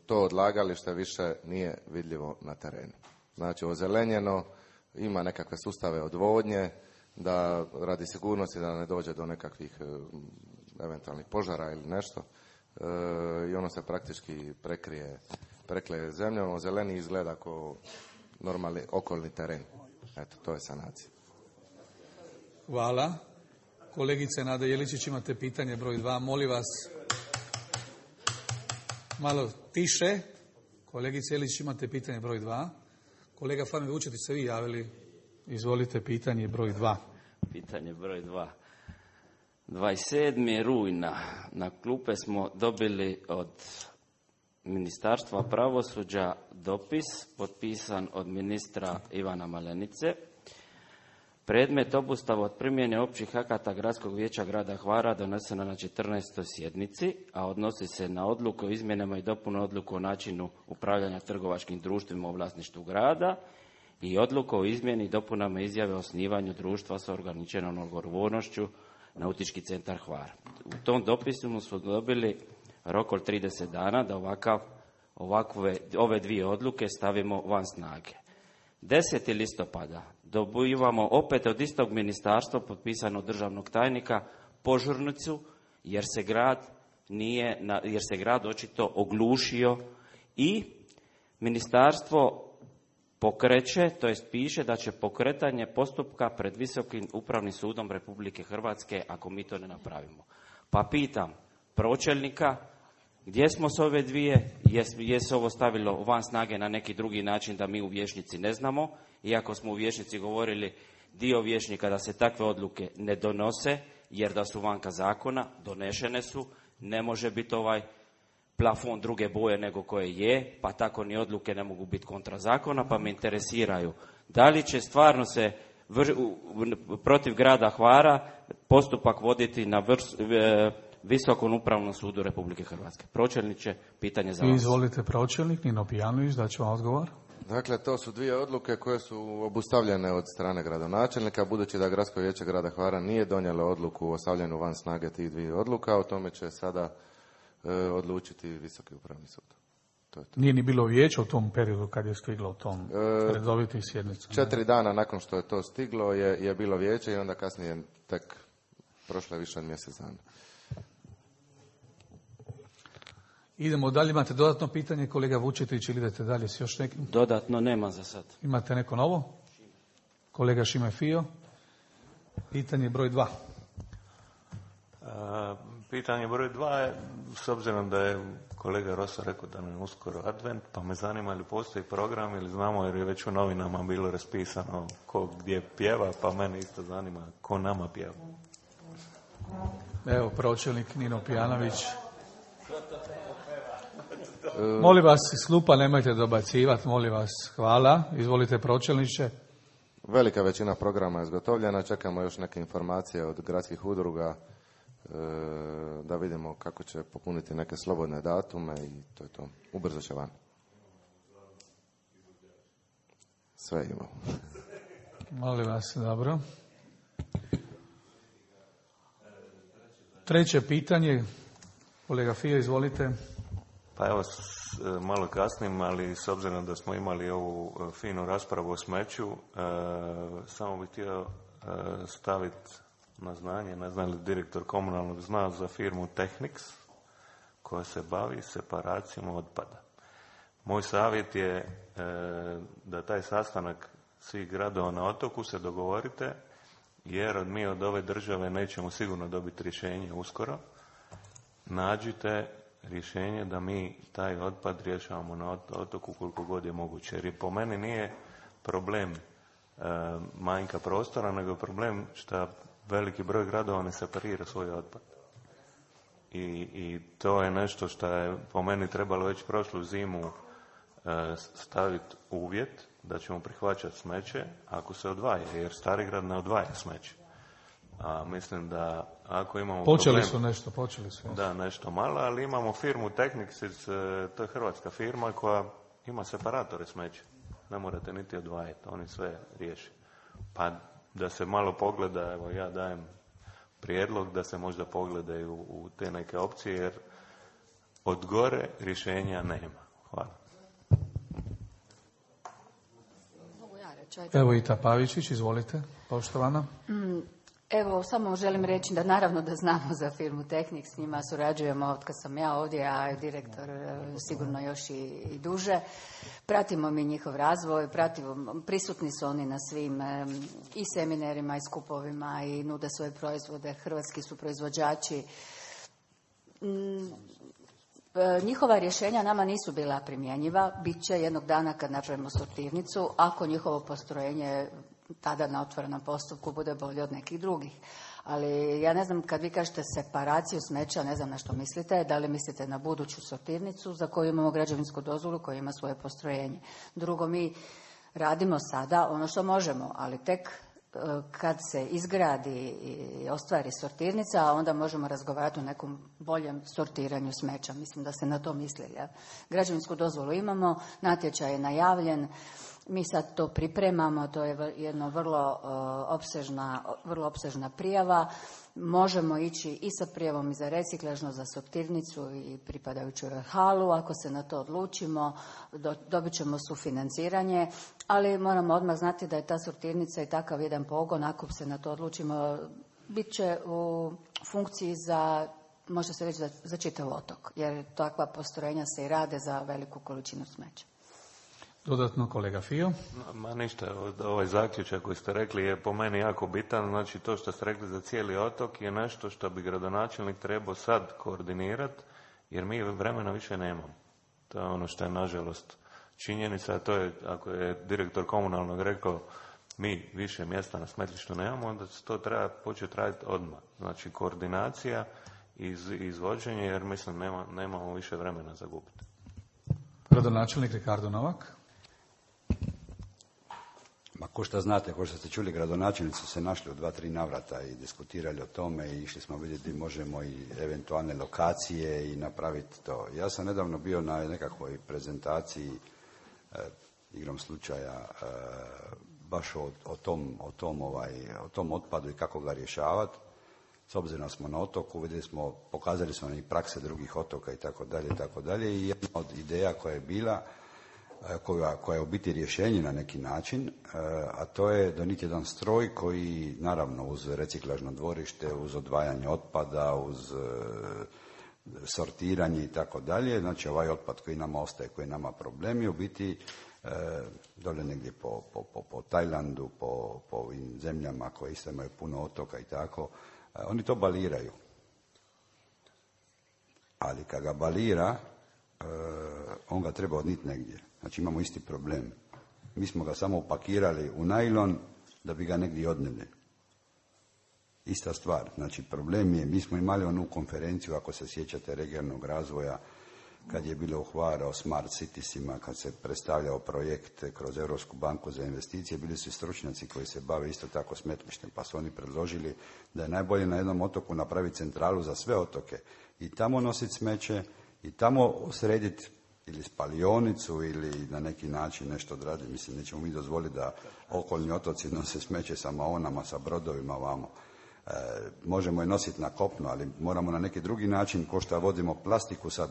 to odlagalište više nije vidljivo na terenu. Znači, ozelenjeno, ima nekakve sustave odvodnje, da radi sigurnosti da ne dođe do nekakvih eventualnih požara ili nešto. I ono se praktički prekrije zemljom, zeleni izgleda kao normalni okolni teren. Eto, to je sanacija. Hvala. Kolegice Nada Jeličić, imate pitanje broj 2. Molim vas malo tiše. Kolegice Jeličić, imate pitanje broj 2. Kolega Fami Vučetić, se vi javili. Izvolite, pitanje broj 2. Pitanje broj 2. 27. rujna na klupe smo dobili od Ministarstva pravosuđa dopis potpisan od ministra Ivana Malenice. Predmet obustava od primjene općih akata Gradskog vijeća grada Hvara donesena na 14. sjednici, a odnosi se na odluku o izmjenama i dopunu odluku o načinu upravljanja trgovačkim društvima u vlasništvu grada i odluku o izmjeni i dopunama izjave o osnivanju društva sa ograničenom odgovornošću Nautički centar Hvar. U tom dopisu smo dobili rok od 30 dana da ove dvije odluke stavimo van snage. 10. listopada dobivamo opet od istog ministarstva potpisano državnog tajnika požurnicu jer se grad očito oglušio i ministarstvo pokreće, to jest piše da će pokretanje postupka pred Visokim upravnim sudom Republike Hrvatske ako mi to ne napravimo. Pa pitam pročelnika gdje smo s ove dvije, je se ovo stavilo van snage na neki drugi način da mi u vijećnici ne znamo, iako smo u vijećnici govorili dio vijećnika da se takve odluke ne donose jer da su vanka zakona, donešene su, ne može biti ovaj plafon druge boje nego koje je, pa tako ni odluke ne mogu biti kontra zakona, pa me interesiraju da li će stvarno se protiv grada Hvara postupak voditi na Visokom upravnom sudu Republike Hrvatske. Pročelniče, pitanje za vas. Izvolite pročelnik, Nino Pijanović, da ću vam odgovor. Dakle, to su dvije odluke koje su obustavljene od strane gradonačelnika, budući da Gradsko vijeće grada Hvara nije donijelo odluku o stavljanju van snage tih dvije odluka, o tome će sada odlučiti Visoki upravni sud. To je to. Nije ni bilo vijeća u tom periodu kad je stiglo u tom redovitih sjednica. 4 dana nakon što je to stiglo je bilo vijeće i onda kasnije tek prošlo je više od mjesec dana. Idemo dalje, imate dodatno pitanje, kolega Vučetić, ili idete dalje s još nekim? Dodatno nema za sad. Imate neko novo? Kolega Šime Fio. Pitanje broj 2. Pitanje broj 2 je, s obzirom da je kolega Rosa rekao da nam je uskoro advent, pa me zanima ili postoji program ili znamo jer je već u novinama bilo raspisano ko gdje pjeva, pa mene isto zanima ko nama pjeva. Evo, pročelnik Nino Pijanović. Molim vas, iz klupa nemojte dobacivati, molim vas, hvala. Izvolite pročelniče. Velika većina programa je izgotovljena, čekamo još neke informacije od gradskih udruga da vidimo kako će popuniti neke slobodne datume i to je to. Ubrzo će van. Sve imamo. Molim vas, dobro. Treće pitanje, kolega Fio, izvolite. Pa evo, malo kasnim, ali s obzirom da smo imali ovu finu raspravu o smeću, samo bih htio staviti na znanje, ne znam li direktor komunalnog zna za firmu Technics, koja se bavi separacijom otpada. Moj savjet je da taj sastanak svih gradova na otoku se dogovorite, jer mi od ove države nećemo sigurno dobiti rješenje uskoro. Nađite rješenje da mi taj otpad rješavamo na otoku koliko god je moguće. Jer po meni nije problem manjka prostora, nego je problem što veliki broj gradova ne separira svoj otpad. I to je nešto što je po meni trebalo već prošlu zimu staviti uvjet da ćemo prihvaćati smeće ako se odvaja, jer Starigrad ne odvaja smeće. A mislim da ako imamo počeli problem, su. Da, nešto malo, ali imamo firmu Technics, to je hrvatska firma koja ima separatore smeća. Ne morate niti odvajati, oni sve riješe. Pa da se malo pogleda, evo ja dajem prijedlog da se možda pogledaju u te neke opcije, jer od gore rješenja nema. Hvala. Evo Ita Pavičić, izvolite, poštovana. Evo, samo želim reći da naravno da znamo za firmu Technics, s njima surađujemo od kad sam ja ovdje, a direktor sigurno još i duže. Pratimo mi njihov razvoj, prisutni su oni na svim i seminarima i skupovima i nude svoje proizvode, hrvatski su proizvođači. Njihova rješenja nama nisu bila primjenjiva, bit će jednog dana kad napravimo sortirnicu, ako njihovo postrojenje tada na otvorenom postupku bude bolje od nekih drugih. Ali ja ne znam, kad vi kažete separaciju smeća, ne znam na što mislite, da li mislite na buduću sortirnicu za koju imamo građevinsku dozvolu, koja ima svoje postrojenje. Drugo, mi radimo sada ono što možemo, ali tek kad se izgradi i ostvari sortirnica, onda možemo razgovarati o nekom boljem sortiranju smeća. Mislim da se na to misli. Ja. Građevinsku dozvolu imamo, natječaj je najavljen, mi sad to pripremamo, to je jedna vrlo opsežna prijava. Možemo ići i sa prijavom i za reciklažno, za sortirnicu i pripadajuću halu. Ako se na to odlučimo, dobit ćemo sufinanciranje, ali moramo odmah znati da je ta sortirnica i takav jedan pogon, ako se na to odlučimo, bit će u funkciji za, može se reći, za čitav otok, jer takva postrojenja se i rade za veliku količinu smeća. Dodatno kolega Fio. Ma ništa, ovaj zaključak koji ste rekli je po meni jako bitan. Znači to što ste rekli za cijeli otok je nešto što bi gradonačelnik trebao sad koordinirati, jer mi vremena više nemamo. To je ono što je nažalost činjenica, a to je, ako je direktor komunalnog rekao mi više mjesta na smetlištu nemamo, onda to treba početi raditi odmah. Znači koordinacija i izvođenje, jer mislim nemamo više vremena za gubiti. Gradonačelnik Ricardo Novak. Ma ko što znate, ko što ste čuli, gradonačelnici su se našli u 2-3 navrata i diskutirali o tome i išli smo vidjeti možemo i eventualne lokacije i napraviti to. Ja sam nedavno bio na nekakvoj prezentaciji, igrom slučaja, baš o tom otpadu i kako ga rješavati. S obzirom da smo na otoku, pokazali smo i prakse drugih otoka i tako dalje. I jedna od ideja koja je bila, koja je u biti rješenje na neki način, a to je donijeti jedan stroj koji, naravno, uz reciklažno dvorište, uz odvajanje otpada, uz sortiranje i tako dalje, znači ovaj otpad koji nama ostaje, koji nama problemi, u biti dole negdje po Tajlandu, po ovim zemljama koje isto imaju puno otoka i tako, oni to baliraju. Ali kad ga balira, on ga treba odniti negdje. Znači imamo isti problem. Mi smo ga samo upakirali u najlon da bi ga negdje odnijeli. Ista stvar. Znači problem je, mi smo imali onu konferenciju, ako se sjećate, regionalnog razvoja, kad je bilo u Hvaru o smart citiesima, kad se predstavljao projekt kroz Europsku banku za investicije, bili su stručnjaci koji se bave isto tako smetlištem, pa su oni predložili da je najbolje na jednom otoku napraviti centralu za sve otoke i tamo nositi smeće i tamo srediti ili spalionicu ili na neki način nešto odraditi. Mislim, nećemo mi dozvoliti da okolni otoci nose smeće sa maonama, sa brodovima vamo. Možemo je nositi na kopno, ali moramo na neki drugi način, ko što vodimo plastiku, sad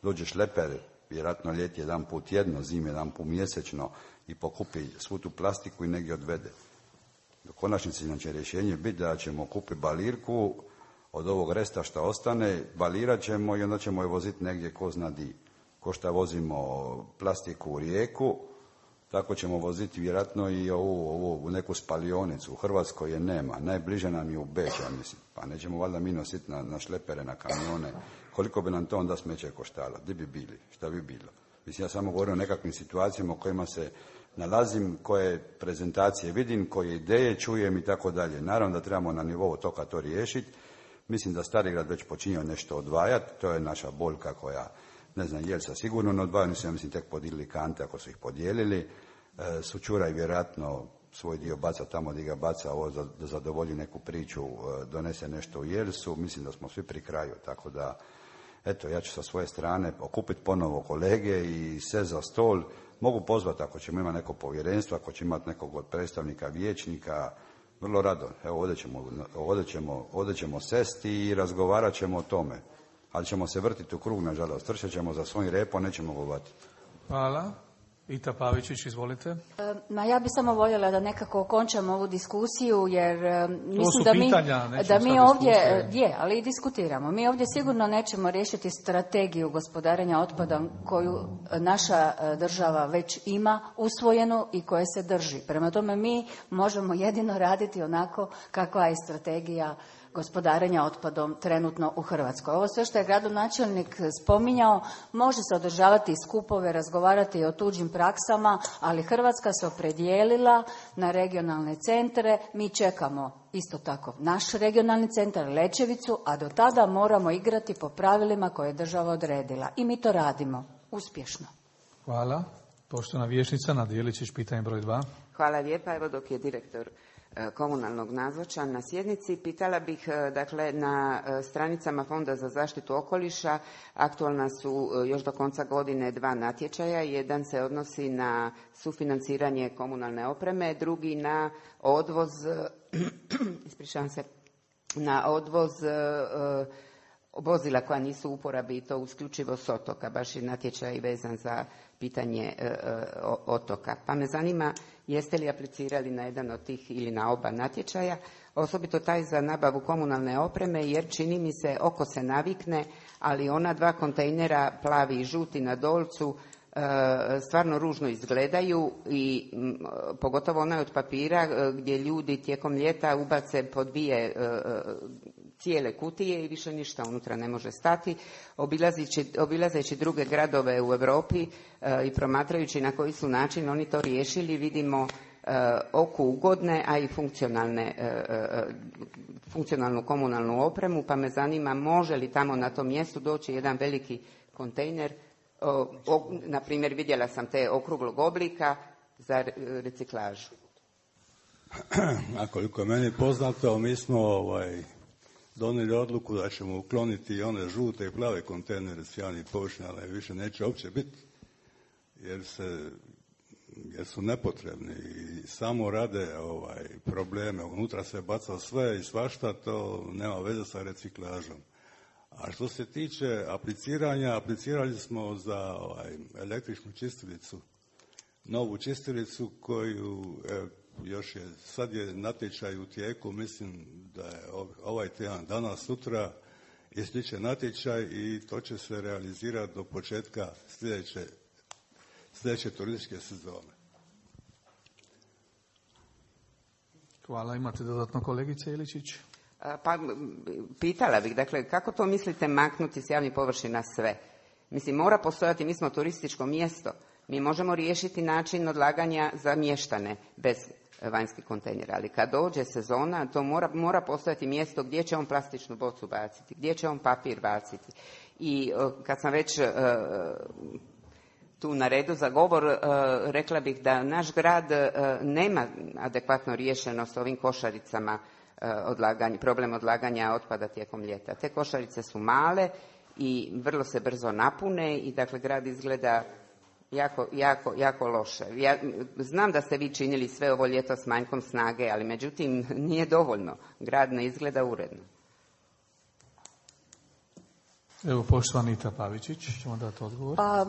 dođe šleper, vjerojatno ljeti jedan put tjedno, zime jedan put mjesečno i pokupi svu tu plastiku i negdje odvede. Do konačnici znači rješenje biti da ćemo kupiti balirku od ovog resta što ostane, balirat ćemo i onda ćemo je voziti negdje ko zna di. Ko što vozimo plastiku u Rijeku, tako ćemo voziti vjerojatno i ovu neku spalionicu. U Hrvatskoj je nema. Najbliže nam je u Beč, ja mislim. Pa nećemo valjda mi nositi na šlepere, na kamione. Koliko bi nam to onda smeće koštalo? Gdje bi bili? Šta bi bilo? Mislim, ja samo govorim o nekakvim situacijama u kojima se nalazim, koje prezentacije vidim, koje ideje čujem i tako dalje. Naravno da trebamo na nivou otoka to riješiti. Mislim da Starigrad već počinje nešto odvajati. To je naša boljka koja, ne znam, Jelsa sigurno ne odvajaju, ja mislim tek podijelili kante ako su ih podijelili. Sućuraj vjerojatno svoj dio baca tamo gdje ga baca, ovo da zadovolji neku priču, donese nešto u Jelsu. Mislim da smo svi pri kraju, tako da, eto, ja ću sa svoje strane okupiti ponovo kolege i sve za stol. Mogu pozvati ako ćemo imati neko povjerenstvo, ako ćemo imati nekog od predstavnika vijećnika, vrlo rado. Evo, ovdje ćemo sesti i razgovarat ćemo o tome. Ali ćemo se vrtiti u krug, nažalost. Trčat ćemo za svojim repom, nećemo govoriti. Hvala. Ita Pavičić, izvolite. Ja bi samo voljela da nekako okončamo ovu diskusiju, jer mislim da mi ovdje, ali i diskutiramo. Mi ovdje sigurno nećemo riješiti strategiju gospodarenja otpadom koju naša država već ima usvojenu i koje se drži. Prema tome mi možemo jedino raditi onako kakva je strategija gospodarenja otpadom trenutno u Hrvatskoj. Ovo sve što je gradonačelnik spominjao, može se održavati skupove, razgovarati o tuđim praksama, ali Hrvatska se opredijelila na regionalne centre. Mi čekamo isto tako naš regionalni centar Lećevicu, a do tada moramo igrati po pravilima koje je država odredila. I mi to radimo uspješno. Hvala. Poštovana vijećnica Nada Jeličić, pitanje broj 2. Hvala lijepa. Evo dok je direktor komunalnog nazočan na sjednici, pitala bih, dakle, na stranicama Fonda za zaštitu okoliša aktualna su još do konca godine 2 natječaja. Jedan se odnosi na sufinanciranje komunalne opreme, drugi na odvoz na odvoz vozila koja nisu u uporabi i to isključivo s otoka, baš je natječaj vezan za pitanje otoka. Pa me zanima, jeste li aplicirali na jedan od tih ili na oba natječaja, osobito taj za nabavu komunalne opreme, jer čini mi se, oko se navikne, ali ona 2 kontejnera, plavi i žuti na Dolcu, stvarno ružno izgledaju i pogotovo onaj od papira gdje ljudi tijekom ljeta ubace po 2 cijele kutije i više ništa unutra ne može stati. Obilazeći druge gradove u Europi i promatrajući na koji su način oni to riješili, vidimo oku ugodne, a i funkcionalnu komunalnu opremu, pa me zanima može li tamo na tom mjestu doći jedan veliki kontejner, na primjer vidjela sam te okruglog oblika za reciklažu. A koliko je meni poznato, mi smo donijeli odluku da ćemo ukloniti one žute i plave kontejnere s javnih površina, ali više neće uopće biti, jer su nepotrebni i samo rade probleme. Unutra se baca sve i svašta, to nema veze sa reciklažom. A što se tiče apliciranja, aplicirali smo za električnu čistilicu, novu čistilicu koju sad je natječaj u tijeku, mislim da je ovaj tjedan, danas, sutra ističe natječaj i to će se realizirati do početka sljedeće turističke sezone. Hvala. Imate dodatno, kolegice Iličić? Pa pitala bih, dakle, kako to mislite maknuti s javnih površina sve? Mislim, mora postojati, mi smo turističko mjesto, mi možemo riješiti način odlaganja za mještane bez vanjskih kontejnera, ali kad dođe sezona, to mora postojati mjesto gdje će on plastičnu bocu baciti, gdje će on papir baciti. I kad sam već tu na redu za govor, rekla bih da naš grad nema adekvatno riješeno s ovim košaricama problem odlaganja otpada tijekom ljeta. Te košarice su male i vrlo se brzo napune i dakle grad izgleda jako loše. Ja znam da ste vi činili sve ovo ljeto s manjkom snage, ali međutim nije dovoljno. Grad ne izgleda uredno. Evo, poštovana Anita Pavičić, ćemo dati odgovor. Pa,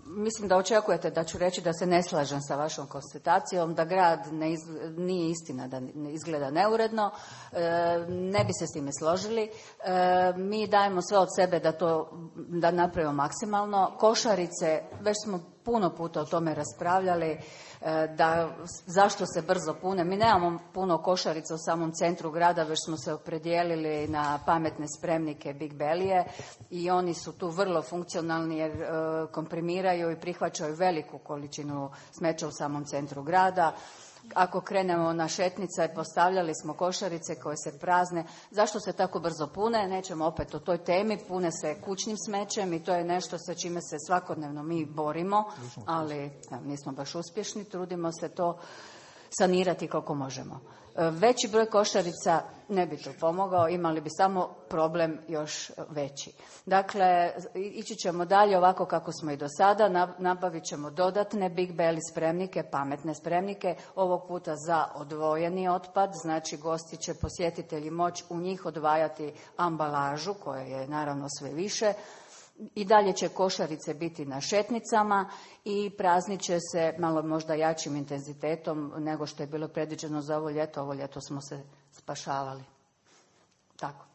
mislim da očekujete da ću reći da se ne slažem sa vašom konstatacijom, da grad nije istina da izgleda neuredno. Ne bi se s time složili. Mi dajemo sve od sebe da napravimo maksimalno. Košarice, već smo puno puta o tome raspravljali, zašto se brzo pune. Mi nemamo puno košarica u samom centru grada, već smo se opredijelili na pametne spremnike Big Belije i oni su tu vrlo funkcionalni jer komprimiraju i prihvaćaju veliku količinu smeća u samom centru grada. Ako krenemo na Šetnica, postavljali smo košarice koje se prazne. Zašto se tako brzo pune? Nećemo opet o toj temi. Pune se kućnim smećem i to je nešto sa čime se svakodnevno mi borimo, ali nismo baš uspješni. Trudimo se to sanirati koliko možemo. Veći broj košarica ne bi to pomogao, imali bi samo problem još veći. Dakle, ići ćemo dalje ovako kako smo i do sada, nabavit ćemo dodatne Big Belly spremnike, pametne spremnike, ovog puta za odvojeni otpad, znači gosti će, posjetitelji moći u njih odvajati ambalažu, koja je naravno sve više. I dalje će košarice biti na šetnicama i praznit će se malo možda jačim intenzitetom nego što je bilo predviđeno za ovo ljeto. Ovo ljeto smo se spašavali. Tako.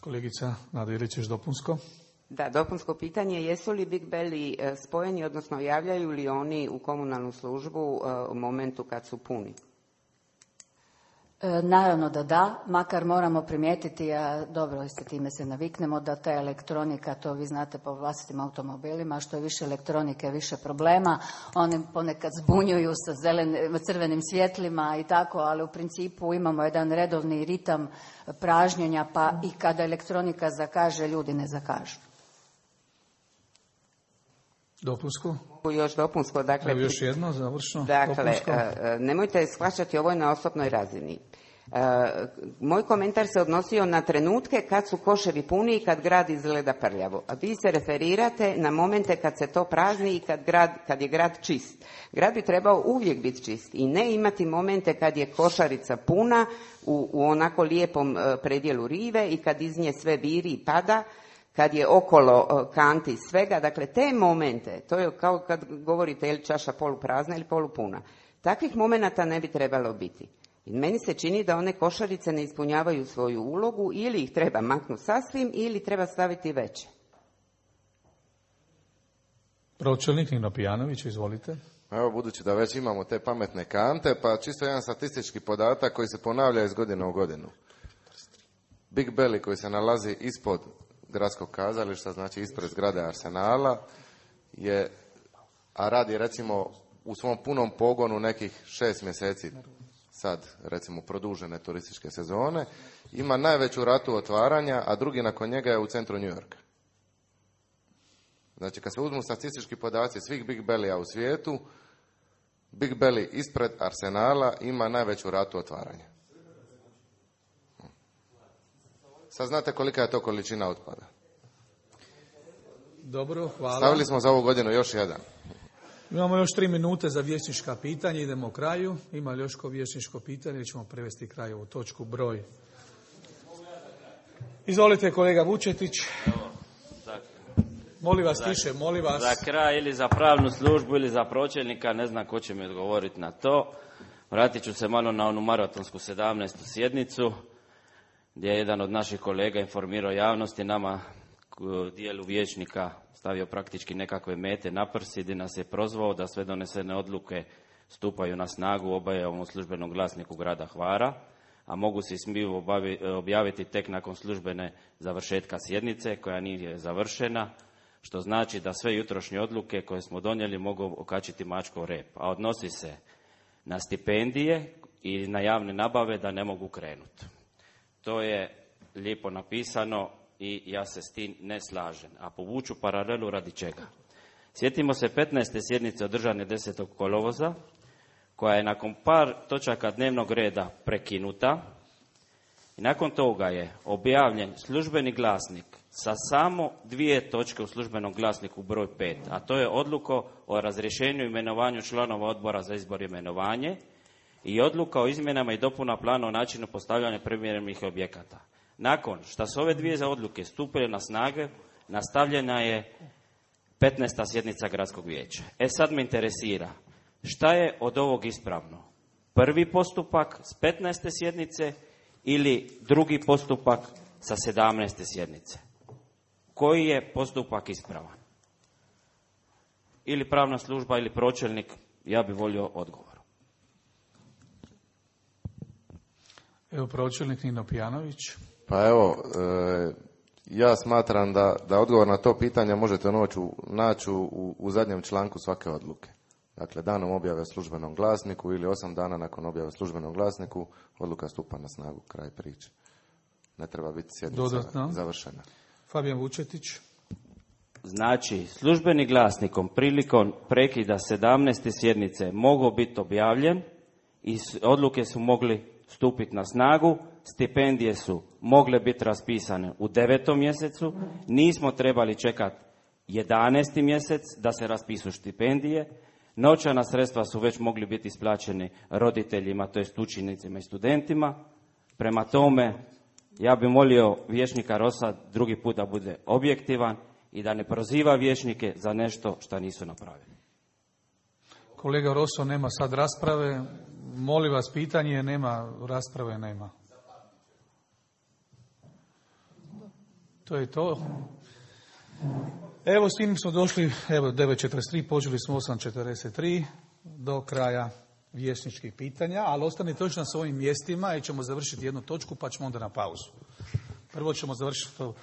Kolegica Nada Jeličić, dopunsko. Da, dopunsko pitanje. Jesu li Big Belly spojeni, odnosno javljaju li oni u komunalnu službu u momentu kad su puni? Naravno da, makar moramo primijetiti, a dobro, s time se naviknemo, da ta elektronika, to vi znate po vlastitim automobilima, što je više elektronike, više problema. Oni ponekad zbunjuju sa crvenim svjetlima i tako, ali u principu imamo jedan redovni ritam pražnjenja, pa i kada elektronika zakaže, ljudi ne zakažu. Dopunsko? Još dopunsko, dakle... Evo još jedno, završno. Dakle, nemojte shvaćati ovo na osobnoj razini. Moj komentar se odnosio na trenutke kad su koševi puni i kad grad izgleda prljavo. A vi se referirate na momente kad se to prazni i kad je grad čist. Grad bi trebao uvijek biti čist i ne imati momente kad je košarica puna u onako lijepom predjelu rive i kad iz nje sve viri i pada, kad je okolo kanti svega. Dakle, te momente, to je kao kad govorite je li čaša poluprazna ili polupuna. Takvih momenata ne bi trebalo biti. I meni se čini da one košarice ne ispunjavaju svoju ulogu, ili ih treba maknuti sasvim ili treba staviti veće. Pročelnik Nino Pijanović, izvolite. Evo, budući da već imamo te pametne kante, pa čisto jedan statistički podatak koji se ponavlja iz godine u godinu. Big Belly koji se nalazi ispod gradskog kazališta, znači ispred zgrade Arsenala, a radi recimo u svom punom pogonu nekih 6 mjeseci, sad recimo produžene turističke sezone, ima najveću ratu otvaranja, a drugi nakon njega je u centru New Yorka. Znači kad se uzmu statistički podaci svih Big Bellija u svijetu, Big Belly ispred Arsenala ima najveću ratu otvaranja. Sad znate kolika je to količina otpada. Dobro, hvala. Stavili smo za ovu godinu još jedan. Imamo još 3 minute za vijećnička pitanja, idemo kraju. Ima li još ko vijećničko pitanje ili ćemo prevesti kraj ovu točku broj. Izvolite kolega Vučetić. Molim vas tiše, molim vas. Za kraj ili za pravnu službu ili za pročelnika, ne znam ko će mi odgovoriti na to. Vratit ću se malo na onu maratonsku 17. sjednicu, gdje je jedan od naših kolega informirao javnosti, nama dijelu vijećnika stavio praktički nekakve mete na prsi, gdje nas je prozvao da sve donesene odluke stupaju na snagu u obajavom službenom glasniku grada Hvara, a mogu se i smiju objaviti tek nakon službene završetka sjednice koja nije završena, što znači da sve jutrošnje odluke koje smo donijeli mogu okačiti mačkov rep, a odnosi se na stipendije i na javne nabave da ne mogu krenuti. To je lijepo napisano i ja se s tim ne slažem. A povuču paralelu radi čega. Sjetimo se 15. sjednice održane 10. kolovoza, koja je nakon par točaka dnevnog reda prekinuta i nakon toga je objavljen službeni glasnik sa samo 2 točke u službenom glasniku broj 5, a to je odluka o razrješenju i imenovanju članova odbora za izbor i imenovanje i odluka o izmjenama i dopuna plana o načinu postavljanja primjerenih objekata. Nakon što su ove 2 odluke stupile na snage, nastavljena je 15. sjednica gradskog vijeća. Sad me interesira, šta je od ovog ispravno? Prvi postupak s 15. sjednice ili drugi postupak sa 17. sjednice? Koji je postupak ispravan? Ili pravna služba ili pročelnik, ja bih volio odgovor. Evo pročelnik Nino Pijanović. Pa evo, ja smatram da odgovor na to pitanje možete naći u zadnjem članku svake odluke. Dakle, danom objave službenom glasniku ili 8 dana nakon objave službenom glasniku, odluka stupa na snagu, kraj priče. Ne treba biti sjednica završena. Fabijan Vučetić. Znači, službeni glasnikom prilikom prekida 17. sjednice mogao biti objavljen i odluke su mogli stupiti na snagu, stipendije su mogle biti raspisane u 9. mjesecu, nismo trebali čekati 11. mjesec da se raspisu stipendije, novčana sredstva su već mogli biti isplaćeni roditeljima, to jest učenicima i studentima. Prema tome, ja bih molio vijećnika Rosa drugi put da bude objektivan i da ne proziva vijećnike za nešto što nisu napravili. Kolega Rosso, nema sad rasprave. Molim vas, pitanje nema, rasprave nema. To je to. Evo, s tim smo došli, evo 9:43, počeli smo 8:43, do kraja vijećničkih pitanja, ali ostanite još na svojim mjestima jer ćemo završiti jednu točku pa ćemo onda na pauzu. Prvo ćemo završiti to